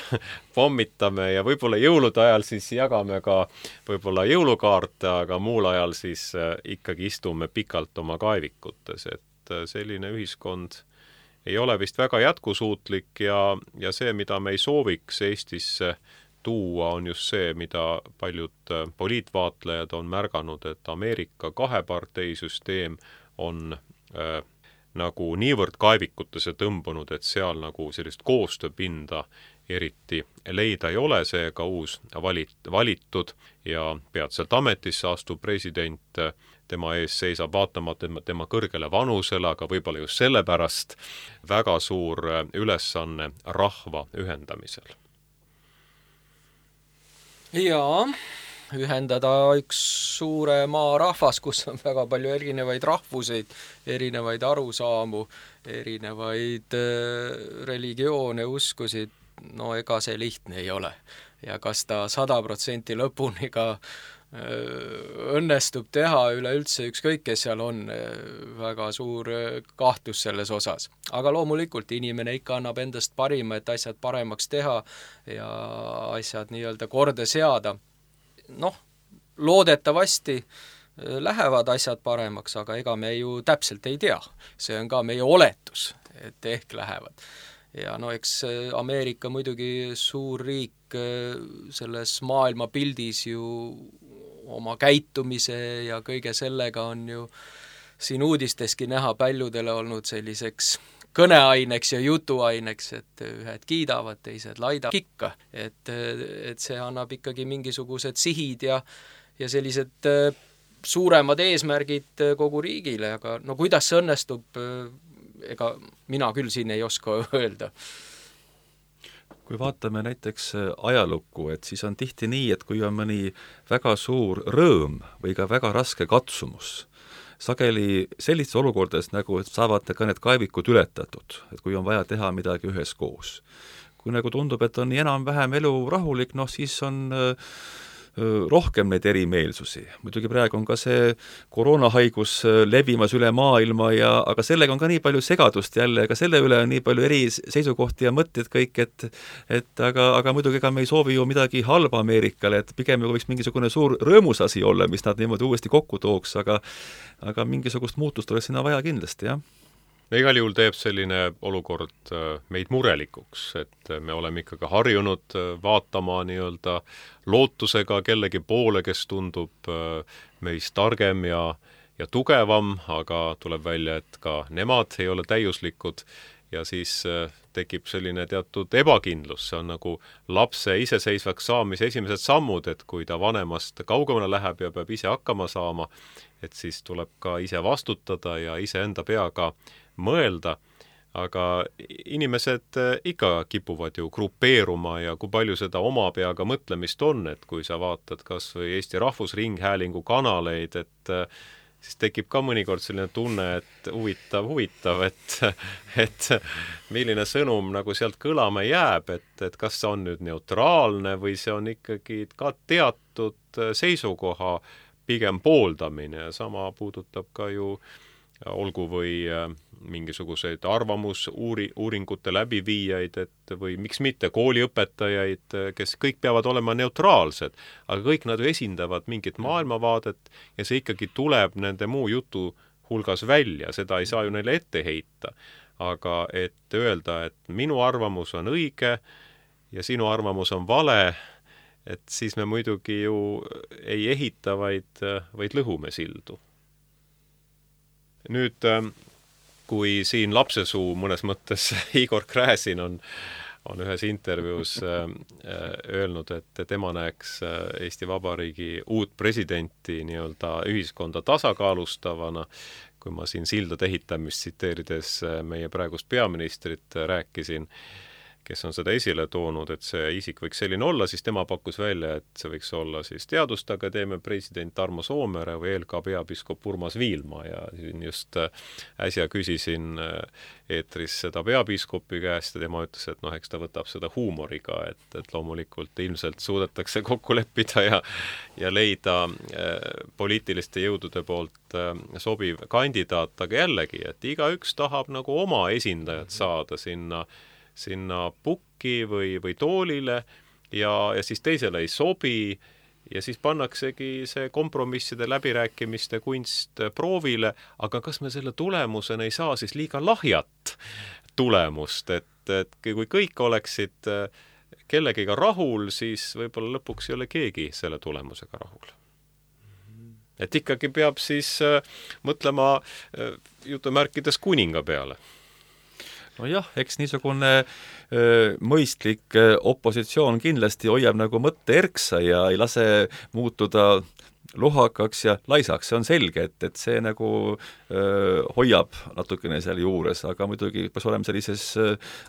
ja võib-olla jõulude ajal siis jagame ka võib-olla jõulukaarte, aga muul ajal siis ikkagi istume pikalt oma kaevikutes, et selline ühiskond ei ole vist väga jätkusuutlik ja see, mida me ei sooviks Eestisse tuua, on just see, mida paljud poliitvaatlejad on märganud, et Ameerika kaheparteisüsteem on nagu niivõrd kaevikutesse tõmbunud, et seal nagu sellist koostööpinda eriti leida ei ole, seega uus valitud ja peatselt ametisse astuv president, tema ees seisab vaatamata tema kõrgele vanusele, aga võib-olla just sellepärast väga suur ülesanne rahva ühendamisel. Jaa, ühendada üks suure maa rahvas, kus on väga palju erinevaid rahvuseid, erinevaid arusaamu, erinevaid religioone, uskusid, no ega see lihtne ei ole. Ja kas ta 100% lõpuni ka õnnestub teha üleüldse ükskõik, kes seal on, väga suur kahtlus selles osas. Aga loomulikult inimene ikka annab endast parima, et asjad paremaks teha ja asjad nii-öelda korda seada. Noh, loodetavasti lähevad asjad paremaks, aga ega me ju täpselt ei tea. See on ka meie oletus, et ehk lähevad. Ja no eks Ameerika muidugi suur riik selles maailma pildis ju oma käitumise ja kõige sellega on ju siin uudisteski näha paljudele olnud selliseks kõneaineks ja jutuaineks, et ühed kiidavad, teised laidavad ikka. Et see annab ikkagi mingisugused sihid ja sellised suuremad eesmärgid kogu riigile, aga no kuidas see õnnestub, ega mina küll siin ei oska öelda. Kui vaatame näiteks ajalukku, et siis on tihti nii, et kui on mõni väga suur rõõm või ka väga raske katsumus, sageli sellistes olukordades nagu saavad ka need kaevikud ületatud, et kui on vaja teha midagi üheskoos. Kui nagu tundub, et on enam-vähem elu rahulik, noh siis on rohkem neid erimeelsusi. Muidugi praegu on ka see koroonahaigus levimas üle maailma aga sellega on ka nii palju segadust jälle, aga selle üle on nii palju eri seisukohti ja mõtted kõik, aga muidugi ega me ei soovi ju midagi halba Ameerikale, et pigem võiks mingisugune suur rõõmus asi olla, mis nad niimoodi uuesti kokku tooks, aga mingisugust muutust oleks sinna vaja kindlasti, jah. Igal juhul teeb selline olukord meid murelikuks, et me oleme ikkagi harjunud vaatama nii-öelda lootusega kellegi poole, kes tundub meist targem ja tugevam, aga tuleb välja, et ka nemad ei ole täiuslikud ja siis tekib selline teatud ebakindlus, see on nagu lapse iseseisvaks saamise esimesed sammud, et kui ta vanemast kaugemale läheb ja peab ise hakkama saama, et siis tuleb ka ise vastutada ja ise enda peaga mõelda, aga inimesed ikka kipuvad ju grupeeruma ja kui palju seda oma peaga mõtlemist on, et kui sa vaatad kas või Eesti Rahvusringhäälingu kanaleid, et siis tekib ka mõnikord selline tunne, et huvitav, et milline sõnum nagu sealt kõlama jääb, et kas see on nüüd neutraalne või see on ikkagi ka teatud seisukoha pigem pooldamine ja sama puudutab ka ju olgu või mingisuguseid arvamusuuringute läbiviijaid, või miks mitte kooliõpetajaid, kes kõik peavad olema neutraalsed, aga kõik nad ju esindavad mingit maailmavaadet ja see ikkagi tuleb nende muu jutu hulgas välja, seda ei saa ju neile ette heita. Aga et öelda, et minu arvamus on õige ja sinu arvamus on vale, et siis me muidugi ju ei ehita, vaid lõhume sildu. Nüüd, kui siin lapsesuu mõnes mõttes Igor Gräzin on ühes intervjuus öelnud, et tema näeks Eesti Vabariigi uut presidenti nii-öelda ühiskonda tasakaalustavana, kui ma siin sildade ehitamist tsiteerides meie praegust peaministrit rääkisin, kes on seda esile toonud, et see isik võiks selline olla, siis tema pakkus välja, et see võiks olla siis Teaduste Akadeemia president Tarmo Soomere või LK peapiiskop Urmas Viilma ja just äsja küsisin eetris seda peapiiskopi käest ja tema ütles, et eks ta võtab seda huumoriga, et loomulikult ilmselt suudetakse kokku leppida ja leida poliitiliste jõudude poolt sobiv kandidaat, aga jällegi, et igaüks tahab nagu oma esindajat saada sinna pukki või toolile ja siis teisele ei sobi ja siis pannaksegi see kompromisside läbirääkimiste kunst proovile, aga kas me selle tulemusena ei saa siis liiga lahjat tulemust, et kui kõik oleksid kellegiga rahul, siis võib-olla lõpuks ei ole keegi selle tulemusega rahul. Et ikkagi peab siis mõtlema jutumärkides kuninga peale. Nojah, eks niisugune mõistlik opositsioon kindlasti hoiab nagu mõtte erksa ja ei lase muutuda lohakaks ja laisaks, see on selge, et see nagu hoiab natukene seal juures, aga muidugi peaks olema sellises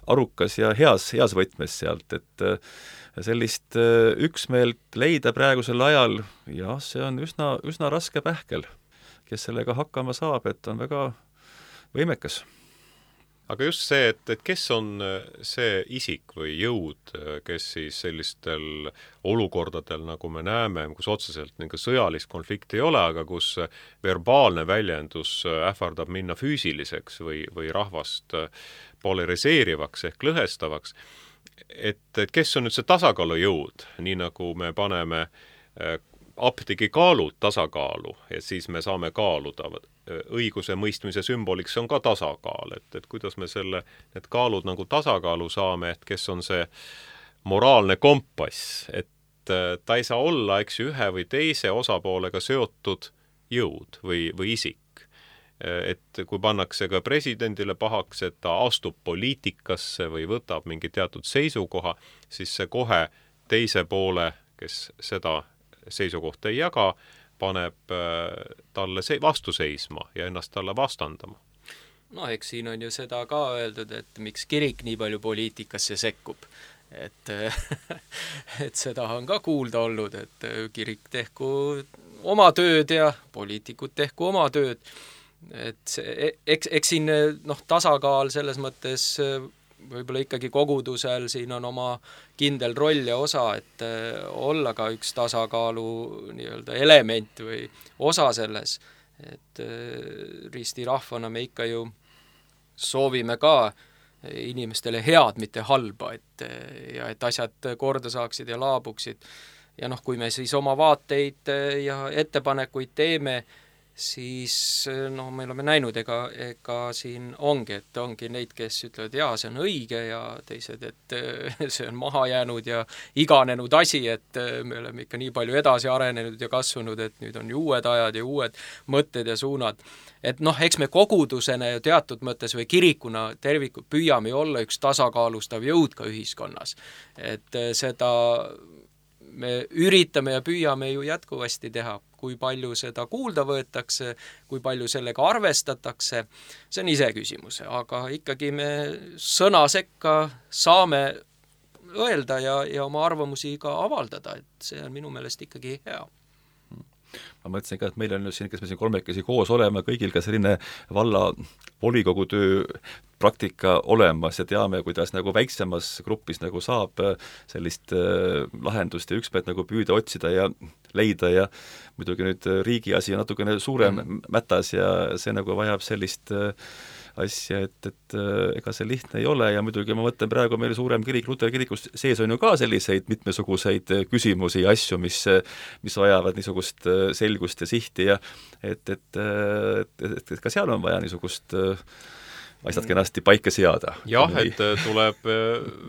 arukas ja heas võtmes sealt, et sellist üksmeelt leida praegusel ajal, jah, see on üsna raske pähkel, kes sellega hakkama saab, et on väga võimekas. Aga just see, et kes on see isik või jõud, kes siis sellistel olukordadel, nagu me näeme, kus otseselt sõjalist konflikti ei ole, aga kus verbaalne väljendus ähvardab minna füüsiliseks või rahvast polariseerivaks ehk lõhestavaks, et kes on nüüd see tasakaalujõud, nii nagu me paneme apteegi kaalud tasakaalu ja siis me saame kaaluda. Õiguse mõistmise sümboliks on ka tasakaal, et kuidas me need kaalud nagu tasakaalu saame, et kes on see moraalne kompass, et ta ei saa olla, eks ju, ühe või teise osapoolega seotud jõud või isik. Et kui pannakse ka presidendile pahaks, et ta astub poliitikasse või võtab mingi teatud seisukoha, siis see kohe teise poole, kes seda seisukohta ei jaga, paneb talle vastu seisma ja ennast talle vastandama. No eks siin on ju seda ka öeldud, et miks kirik nii palju poliitikasse sekkub. Et seda on ka kuulda olnud, et kirik tehku oma tööd ja poliitikud tehku oma tööd. Et eks siin tasakaal selles mõttes võib-olla ikkagi kogudusel siin on oma kindel roll ja osa, et olla ka üks tasakaalu nii-öelda element või osa selles, et ristirahvana me ikka ju soovime ka inimestele head, mitte halba, et asjad korda saaksid ja laabuksid. Ja kui me siis oma vaateid ja ettepanekuid teeme, siis me oleme näinud, ega siin ongi neid, kes ütlevad, jaa, see on õige ja teised, et see on maha jäänud ja iganenud asi, et me oleme ikka nii palju edasi arenenud ja kasvanud, et nüüd on ju uued ajad ja uued mõtted ja suunad. Et eks me kogudusena ja teatud mõttes või kirikuna tervikult püüame olla üks tasakaalustav jõud ka ühiskonnas. Et seda me üritame ja püüame ju jätkuvasti teha, kui palju seda kuulda võetakse, kui palju sellega arvestatakse, see on ise küsimus, aga ikkagi me sõna sekka saame öelda ja oma arvamusi ka avaldada, et see on minu meelest ikkagi hea. Ma mõtlesin ka, et meil on siin, kes me siin kolmekesi koos oleme, kõigil ka selline valla volikogu töö praktika olemas ja teame, kuidas nagu väiksemas grupis nagu saab sellist lahendust ja üksmeelt nagu püüda otsida ja leida ja muidugi nüüd riigi asi on natukene suurem mätas ja see nagu vajab sellist asja, et ega see lihtne ei ole ja muidugi ma mõtlen praegu meil suurem kirik, Luteri kirikus sees on ju ka selliseid mitmesuguseid küsimusi ja asju, mis vajavad niisugust selgust ja sihti ja et ka seal on vaja niisugust asjad kenasti paika seada. Jah, et tuleb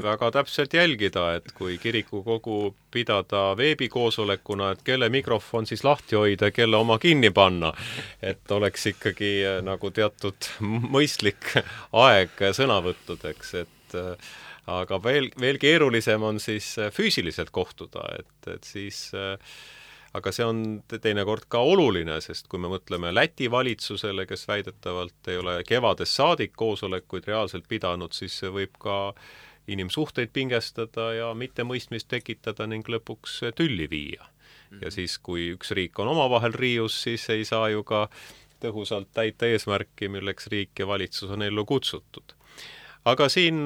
väga täpselt jälgida, et kui kirikukogu pidada veebikoosolekuna, et kelle mikrofon siis lahti hoida, kelle oma kinni panna, et oleks ikkagi nagu teatud mõistlik aeg sõnavõttudeks, et aga veel keerulisem on siis füüsiliselt kohtuda, et siis aga see on teinekord ka oluline, sest kui me mõtleme Läti valitsusele, kes väidetavalt ei ole kevadest saadik koosolekuid reaalselt pidanud, siis see võib ka inimsuhteid pingestada ja mittemõistmist tekitada ning lõpuks tülli viia. Ja siis, kui üks riik on omavahel riius, siis ei saa ju ka tõhusalt täita eesmärki, milleks riik ja valitsus on ellu kutsutud. Aga siin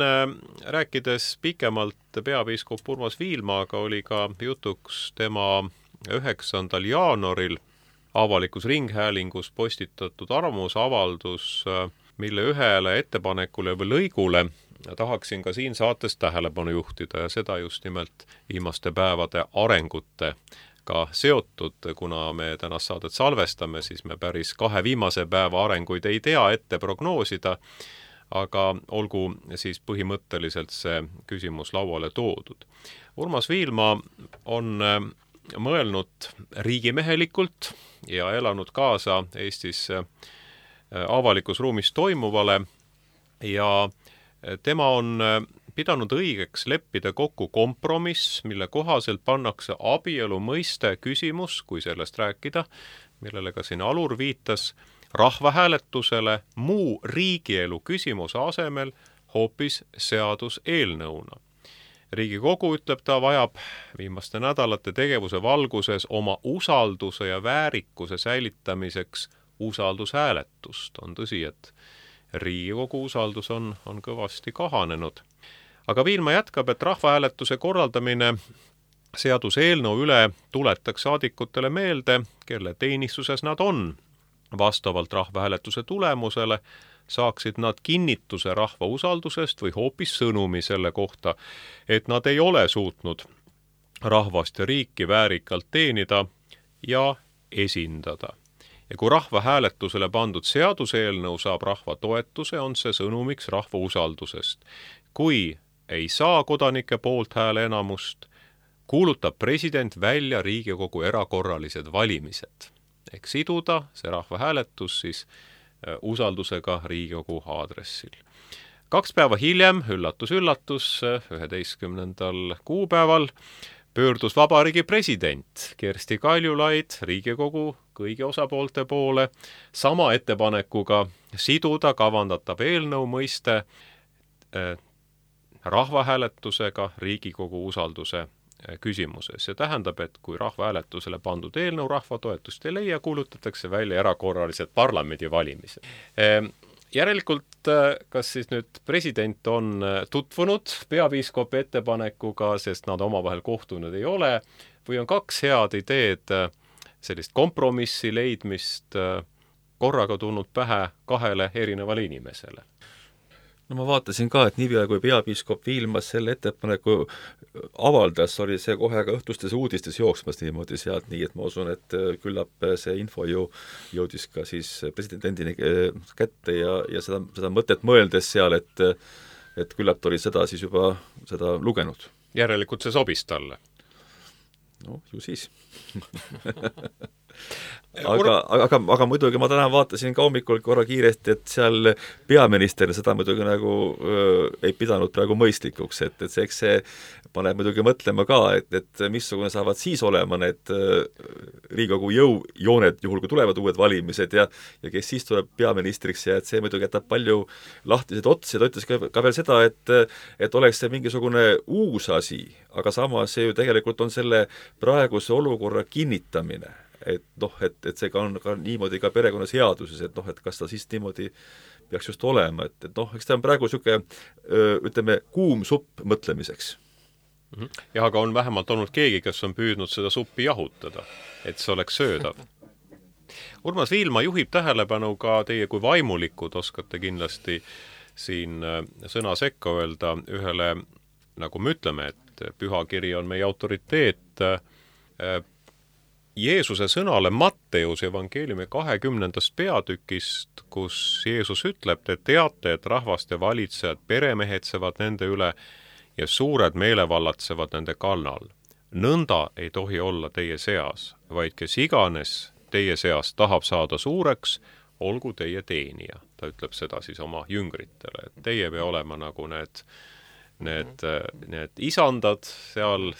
rääkides pikemalt peapiiskop Urmas Viilmaaga oli ka jutuks tema 9. jaanuaril avalikus ringhäälingus postitatud arvamusavaldus, mille ühele ettepanekule või lõigule tahaksin ka siin saates tähelepanu juhtida ja seda just nimelt viimaste päevade arengute ka seotud, kuna me tänast saadet salvestame, siis me päris 2 viimase päeva arenguid ei tea ette prognoosida, aga olgu siis põhimõtteliselt see küsimus lauale toodud. Urmas Viilma on mõelnud riigimehelikult ja elanud kaasa Eestis avalikus ruumis toimuvale ja tema on pidanud õigeks leppida kokku kompromiss, mille kohaselt pannakse abielu mõiste küsimus, kui sellest rääkida, millele ka siin Alur viitas, rahvahääletusele muu riigielu küsimuse asemel hoopis seaduseelnõuna. Riigikogu, ütleb ta, vajab viimaste nädalate tegevuse valguses oma usalduse ja väärikuse säilitamiseks usaldushääletust. On tõsi, et Riigikogu usaldus on kõvasti kahanenud. Aga Viilma jätkab, et rahvahääletuse korraldamine seaduseelnõu üle tuletaks saadikutele meelde, kelle teenistuses nad on. Vastavalt rahvahääletuse tulemusele saaksid nad kinnituse rahva usaldusest või hoopis sõnumi selle kohta, et nad ei ole suutnud rahvast ja riiki väärikalt teenida ja esindada. Ja kui rahvahääletusele pandud seaduseelnõu saab rahva toetuse, on see sõnumiks rahva usaldusest. Kui ei saa kodanike poolthääle enamust, kuulutab president välja Riigikogu erakorralised valimised. Ehk siduda see rahvahääletus siis usaldusega Riigikogu aadressil. 2 päeva hiljem, üllatus, 11. kuupäeval, pöördus Vabariigi president Kersti Kaljulaid Riigikogu kõigi osapoolte poole sama ettepanekuga siduda kavandatav eelnõu mõiste rahvahääletusega Riigikogu usalduse küsimuses. See tähendab, et kui rahvahääletusele pandud eelnõu rahva toetust ei leia, kuulutatakse välja erakorralised parlamendivalimised. Järelikult, kas siis nüüd president on tutvunud peapiiskopi ettepanekuga, sest nad omavahel kohtunud ei ole, või on 2 head ideed sellist kompromissi leidmist korraga tulnud pähe 2 erinevale inimesele? No ma vaatasin ka, et niipea kui peapiiskop Viilmas selle ettepaneku avaldas, oli see kohe ka õhtustes uudistes jooksmas niimoodi sealt, nii et ma usun, et küllap see info ju jõudis ka siis presidendini kätte ja seda mõtet mõeldes seal, et küllap oli seda siis juba seda lugenud. Järelikult see sobis talle? No, ju siis. Aga muidugi ma täna vaatasin ka hommikul korra kiiresti, et seal peaminister seda muidugi nagu ei pidanud praegu mõistlikuks, et see paneb muidugi mõtlema ka, et missugune saavad siis olema need Riigikogu jõujooned, juhul kui tulevad uued valimised ja kes siis tuleb peaministriks ja et see muidugi jätab palju lahtiseid otsi. Ta ütles ka veel seda, et oleks see mingisugune uus asi, aga samas see ju tegelikult on selle praeguse olukorra kinnitamine. Et see ka on ka niimoodi ka perekonnaseaduses, et kas ta siis niimoodi peaks just olema, et eks ta on praegu niisugune, ütleme, kuum supp mõtlemiseks. Jah, aga on vähemalt olnud keegi, kes on püüdnud seda suppi jahutada, et see oleks söödav. Urmas Viilma juhib tähelepanu ka teie kui vaimulikud, oskate kindlasti siin sõna sekka öelda ühele, nagu me ütleme, et pühakiri on meie autoriteet, Jeesuse sõnale Matteuse evangeeliumi 20. peatükist, kus Jeesus ütleb, te teate, et rahvaste valitsejad peremehetsevad nende üle ja suured meelevallatsevad nende kannal. Nõnda ei tohi olla teie seas, vaid kes iganes teie seas tahab saada suureks, olgu teie teenija. Ta ütleb seda siis oma jüngritele, et teie pea olema nagu need isandad seal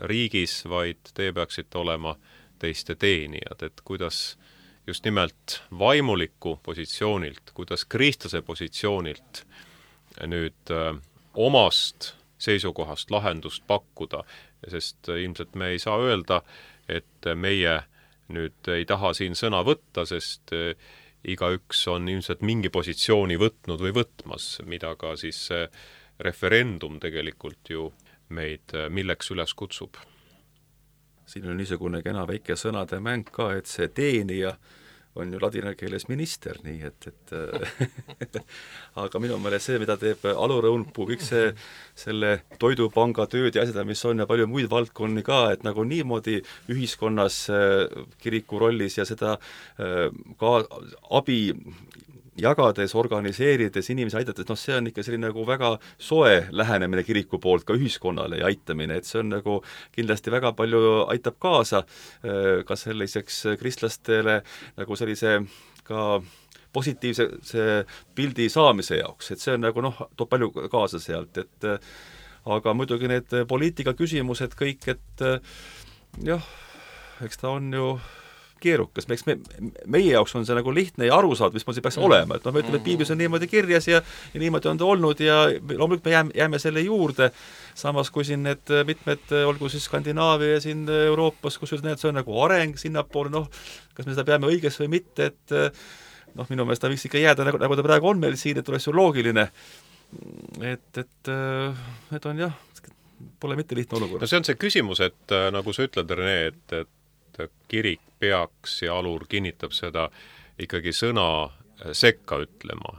riigis, vaid teie peaksite olema teiste teenijad, et kuidas just nimelt vaimuliku positsioonilt, kuidas kristlase positsioonilt nüüd omast seisukohast lahendust pakkuda, sest ilmselt me ei saa öelda, et meie nüüd ei taha siin sõna võtta, sest igaüks on ilmselt mingi positsiooni võtnud või võtmas, mida ka siis referendum tegelikult ju meid milleks üles kutsub. Siin on niisugune kena väike sõnade mäng ka, et see teenija on ju ladina keeles minister, nii et aga minu meelest see, mida teeb Alur Õunpuu, kõik selle toidupanga tööd ja asjad, mis on ja palju muid valdkonni ka, et nagu niimoodi ühiskonnas kiriku rollis ja seda ka abi jagades, organiseerides, inimesi aitates, see on ikka selline nagu väga soe lähenemine kiriku poolt ka ühiskonnale ja aitamine, et see on nagu kindlasti väga palju aitab kaasa ka selliseks kristlastele nagu sellise ka positiivse pildi saamise jaoks, et see on nagu toob palju kaasa sealt, et aga muidugi need poliitika küsimused kõik, et jah, eks ta on ju keerukas, meie jaoks on see nagu lihtne ja arusaad, mis peaks olema, et me ütleme, et piiblis on niimoodi kirjas ja niimoodi on ta olnud ja loomulikult me jääme selle juurde, samas kui siin need mitmed, olgu siis Skandinaavia ja siin Euroopas, kus see on nagu areng sinnapoole, kas me seda peame õiges või mitte, et minu meelest ta võiks ikka jääda, nagu ta praegu on meil siin, et oleks ju loogiline, et need on jah, pole mitte lihtne olukord. No see on see küsimus, et nagu sa ütled, Rene, et kirik peaks ja Alur kinnitab seda ikkagi sõna sekka ütlema.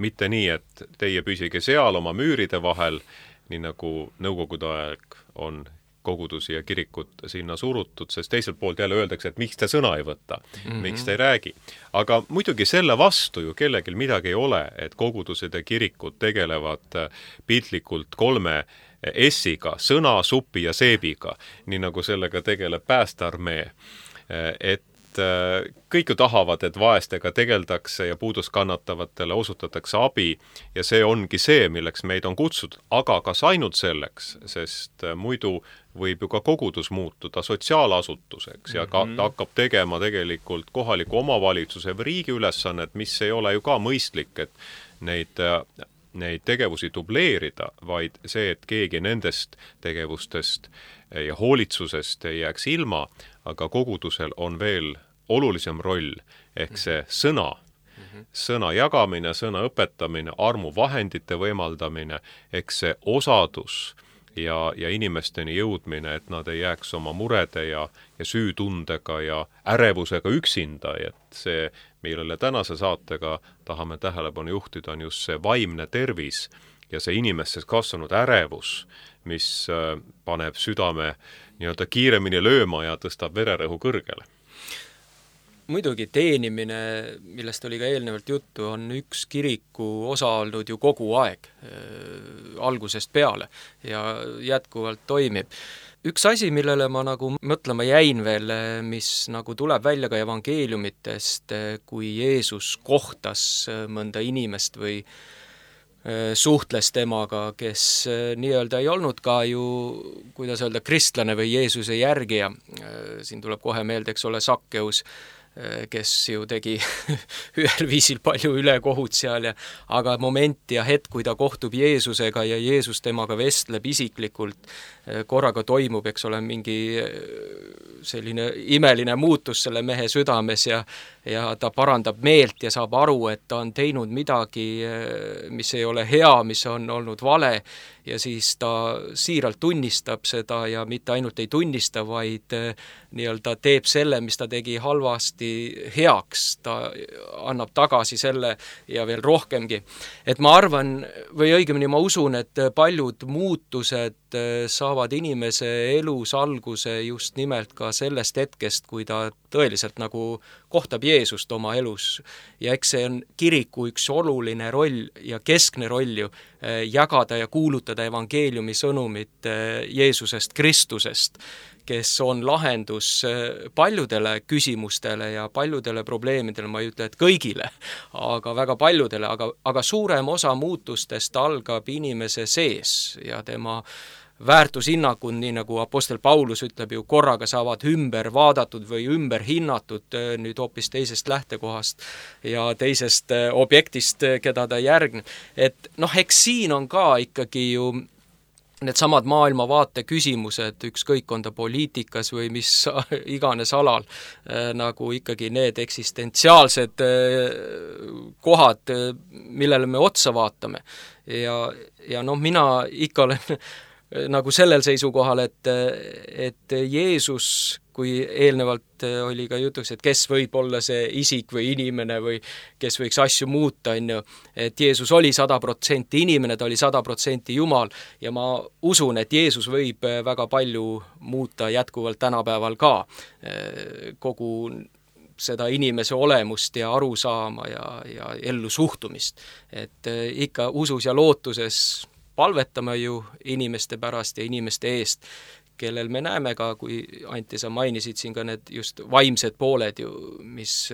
Mitte nii, et teie püsige seal oma müüride vahel, nii nagu nõukogude aeg on kogudusi ja kirikut sinna surutud, sest teiselt poolt jälle öeldakse, et miks te sõna ei võta, miks te ei räägi. Aga muidugi selle vastu ju kellelgi midagi ei ole, et kogudused ja kirikud tegelevad piltlikult 3 S-iga, sõna, supi ja seebiga, nii nagu sellega tegeleb päästearmee. Et kõik ju tahavad, et vaestega tegeldakse ja puudust kannatavatele osutatakse abi ja see ongi see, milleks meid on kutsutud, aga kas ainult selleks, sest muidu võib ju ka kogudus muutuda sotsiaalasutuseks ja ta hakkab tegema tegelikult kohaliku omavalitsuse või riigi ülesannet, mis ei ole ju ka mõistlik, et neid tegevusi dubleerida, vaid see, et keegi nendest tegevustest ja hoolitsusest ei jääks ilma, aga kogudusel on veel olulisem roll, ehk see sõna jagamine, sõna õpetamine, armuvahendite võimaldamine, ehk see osadus ja inimesteni jõudmine, et nad ei jääks oma murede ja süütundega ja ärevusega üksinda, et see, millele tänase saatega tahame tähelepanu juhtida, on just see vaimne tervis ja see inimestes kasvanud ärevus, mis paneb südame nii-öelda kiiremini lööma ja tõstab vererõhu kõrgele. Muidugi teenimine, millest oli ka eelnevalt juttu, on üks kiriku osa olnud ju kogu aeg, algusest peale ja jätkuvalt toimib. Üks asi, millele ma nagu mõtlema jäin veel, mis nagu tuleb välja ka evangeeliumitest, kui Jeesus kohtas mõnda inimest või suhtles temaga, kes nii-öelda ei olnud ka ju, kuidas öelda, kristlane või Jeesuse järgija. Siin tuleb kohe meelde, eks ole, Sakkeus, kes ju tegi ühel viisil palju ülekohut seal, aga moment ja hetk, kui ta kohtub Jeesusega ja Jeesus temaga vestleb isiklikult, korraga toimub, eks ole, mingi selline imeline muutus selle mehe südames ja ta parandab meelt ja saab aru, et ta on teinud midagi, mis ei ole hea, mis on olnud vale ja siis ta siiralt tunnistab seda ja mitte ainult ei tunnista, vaid nii-öelda teeb selle, mis ta tegi halvasti heaks, ta annab tagasi selle ja veel rohkemgi. Et ma arvan, või õigemini ma usun, et paljud muutused saavad inimese elus alguse just nimelt ka sellest hetkest, kui ta tõeliselt nagu kohtab Jeesust oma elus. Ja eks see on kiriku üks oluline roll ja keskne roll ju jagada ja kuulutada evangeeliumi sõnumit Jeesusest Kristusest, kes on lahendus paljudele küsimustele ja paljudele probleemidele, ma ei ütle, et kõigile, aga väga paljudele, aga suurem osa muutustest algab inimese sees ja tema väärtushinnangud, nii nagu apostel Paulus ütleb ju, korraga saavad ümber vaadatud või ümber hinnatud nüüd hoopis teisest lähtekohast ja teisest objektist, keda ta järgneb. Et eks siin on ka ikkagi ju needsamad maailmavaate küsimused, ükskõik on ta poliitikas või mis iganes alal, nagu ikkagi need eksistentsiaalsed kohad, millele me otsa vaatame. Ja mina ikka olen nagu sellel seisukohal, et Jeesus, kui eelnevalt oli ka jutuks, et kes võib olla see isik või inimene või kes võiks asju muuta, et Jeesus oli 100% inimene, ta oli 100% Jumal ja ma usun, et Jeesus võib väga palju muuta jätkuvalt tänapäeval ka kogu seda inimese olemust ja arusaama ja ellu suhtumist. Et ikka usus ja lootuses palvetame ju inimeste pärast ja inimeste eest, kellel me näeme ka, kui Anti, sa mainisid siin ka need just vaimsed pooled ju, mis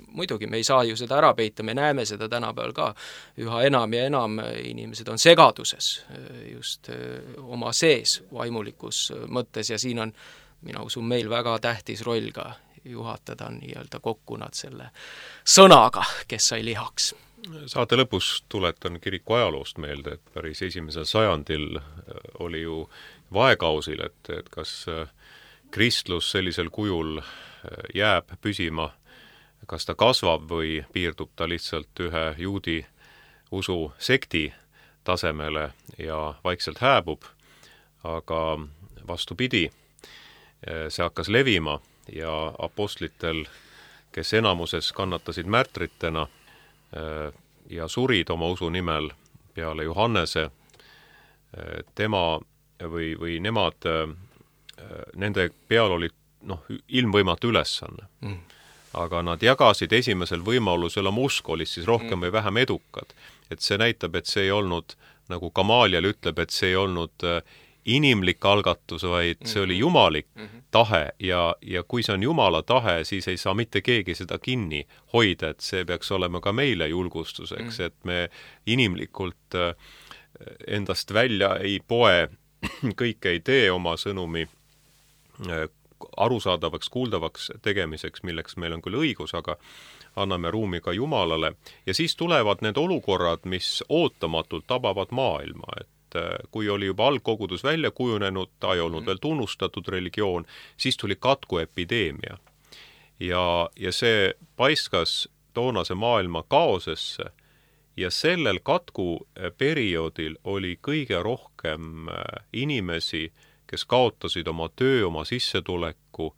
muidugi me ei saa ju seda ära peita, me näeme seda tänapäeval ka üha enam ja enam, inimesed on segaduses just oma sees vaimulikus mõttes ja siin on, mina usun, meil väga tähtis roll ka juhatada nii-öelda kokku nad selle sõnaga, kes sai lihaks. Saate lõpus tuletan kiriku ajaloost meelde, et päris 1. sajandil oli ju vaekausil, et kas kristlus sellisel kujul jääb püsima, kas ta kasvab või piirdub ta lihtsalt ühe juudi usu sekti tasemele ja vaikselt hääbub, aga vastupidi, see hakkas levima ja apostlitel, kes enamuses kannatasid märtritena ja surid oma usu nimel peale Johannese, tema või nemad, nende peal oli ilmvõimatu ülesanne. Aga nad jagasid esimesel võimalusel oma usku, olid siis rohkem või vähem edukad. Et see näitab, et see ei olnud, nagu Gamaliel ütleb, et see ei olnud inimlik algatus, vaid see oli jumalik tahe ja kui see on jumala tahe, siis ei saa mitte keegi seda kinni hoida, et see peaks olema ka meile julgustuseks, et me inimlikult endast välja ei poe, kõike ei tee oma sõnumi arusaadavaks, kuuldavaks tegemiseks, milleks meil on küll õigus, aga anname ruumi ka Jumalale. Ja siis tulevad need olukorrad, mis ootamatult tabavad maailma, et kui oli juba algkogudus välja kujunenud, ta ei olnud veel tunnustatud religioon, siis tuli katkuepideemia. Ja see paiskas toonase maailma kaosesse ja sellel katkuperioodil oli kõige rohkem inimesi, kes kaotasid oma töö, oma sissetuleku,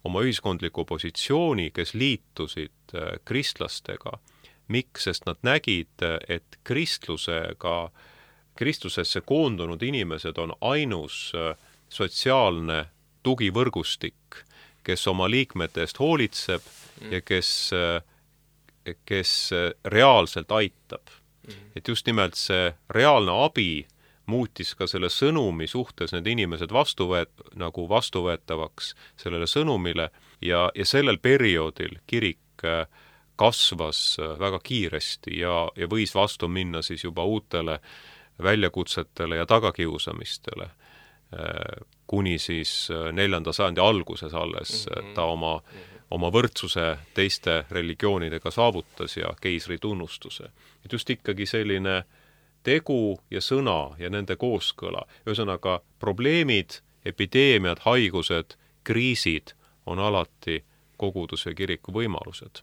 oma ühiskondliku positsiooni, kes liitusid kristlastega. Miks? Sest nad nägid, et Kristusesse koondunud inimesed on ainus sotsiaalne tugivõrgustik, kes oma liikmete eest hoolitseb ja kes reaalselt aitab. Et just nimelt see reaalne abi muutis ka selle sõnumi suhtes need inimesed vastuvõetavaks sellele sõnumile ja sellel perioodil kirik kasvas väga kiiresti ja võis vastu minna siis juba uutele väljakutsetele ja tagakiusamistele, kuni siis 4. sajandi alguses alles ta oma võrdsuse teiste religioonidega saavutas ja keisri tunnustuse. Et just ikkagi selline tegu ja sõna ja nende kooskõla. Ühesõnaga, probleemid, epideemiad, haigused, kriisid on alati koguduse ja kiriku võimalused.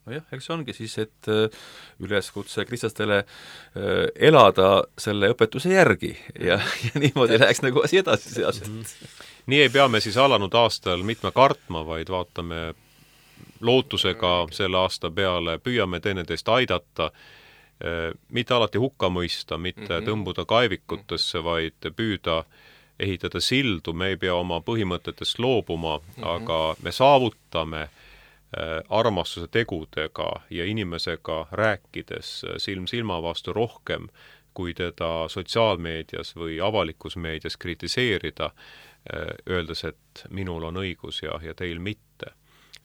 Nojah, eks ongi siis, et üleskutse kristlastele elada selle õpetuse järgi ja niimoodi läheks nagu asi edasi sealselt. Nii ei pea me siis alanud aastal mitme kartma, vaid vaatame lootusega selle aasta peale, püüame teineteist aidata, mitte alati hukka mõista, mitte tõmbuda kaevikutesse, vaid püüda ehitada sildu, me ei pea oma põhimõtetest loobuma, aga me saavutame armastuse tegudega ja inimesega rääkides silm silma vastu rohkem, kui teda sotsiaalmeedias või avalikus meedias kritiseerida, öeldes, et minul on õigus ja teil mitte.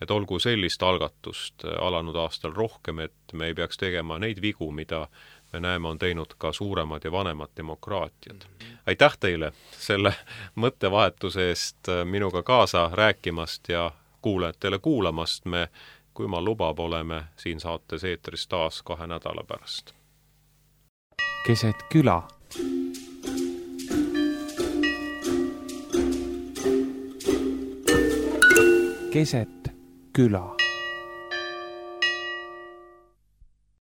Et olgu sellist algatust alanud aastal rohkem, et me ei peaks tegema neid vigu, mida me näeme on teinud ka suuremad ja vanemad demokraatiad. Aitäh teile selle mõttevahetuse eest minuga kaasa rääkimast ja kuulajatele kuulamast. Me, kui ma lubab, oleme siin saates eetris taas 2 nädala pärast. keset küla. Keset küla.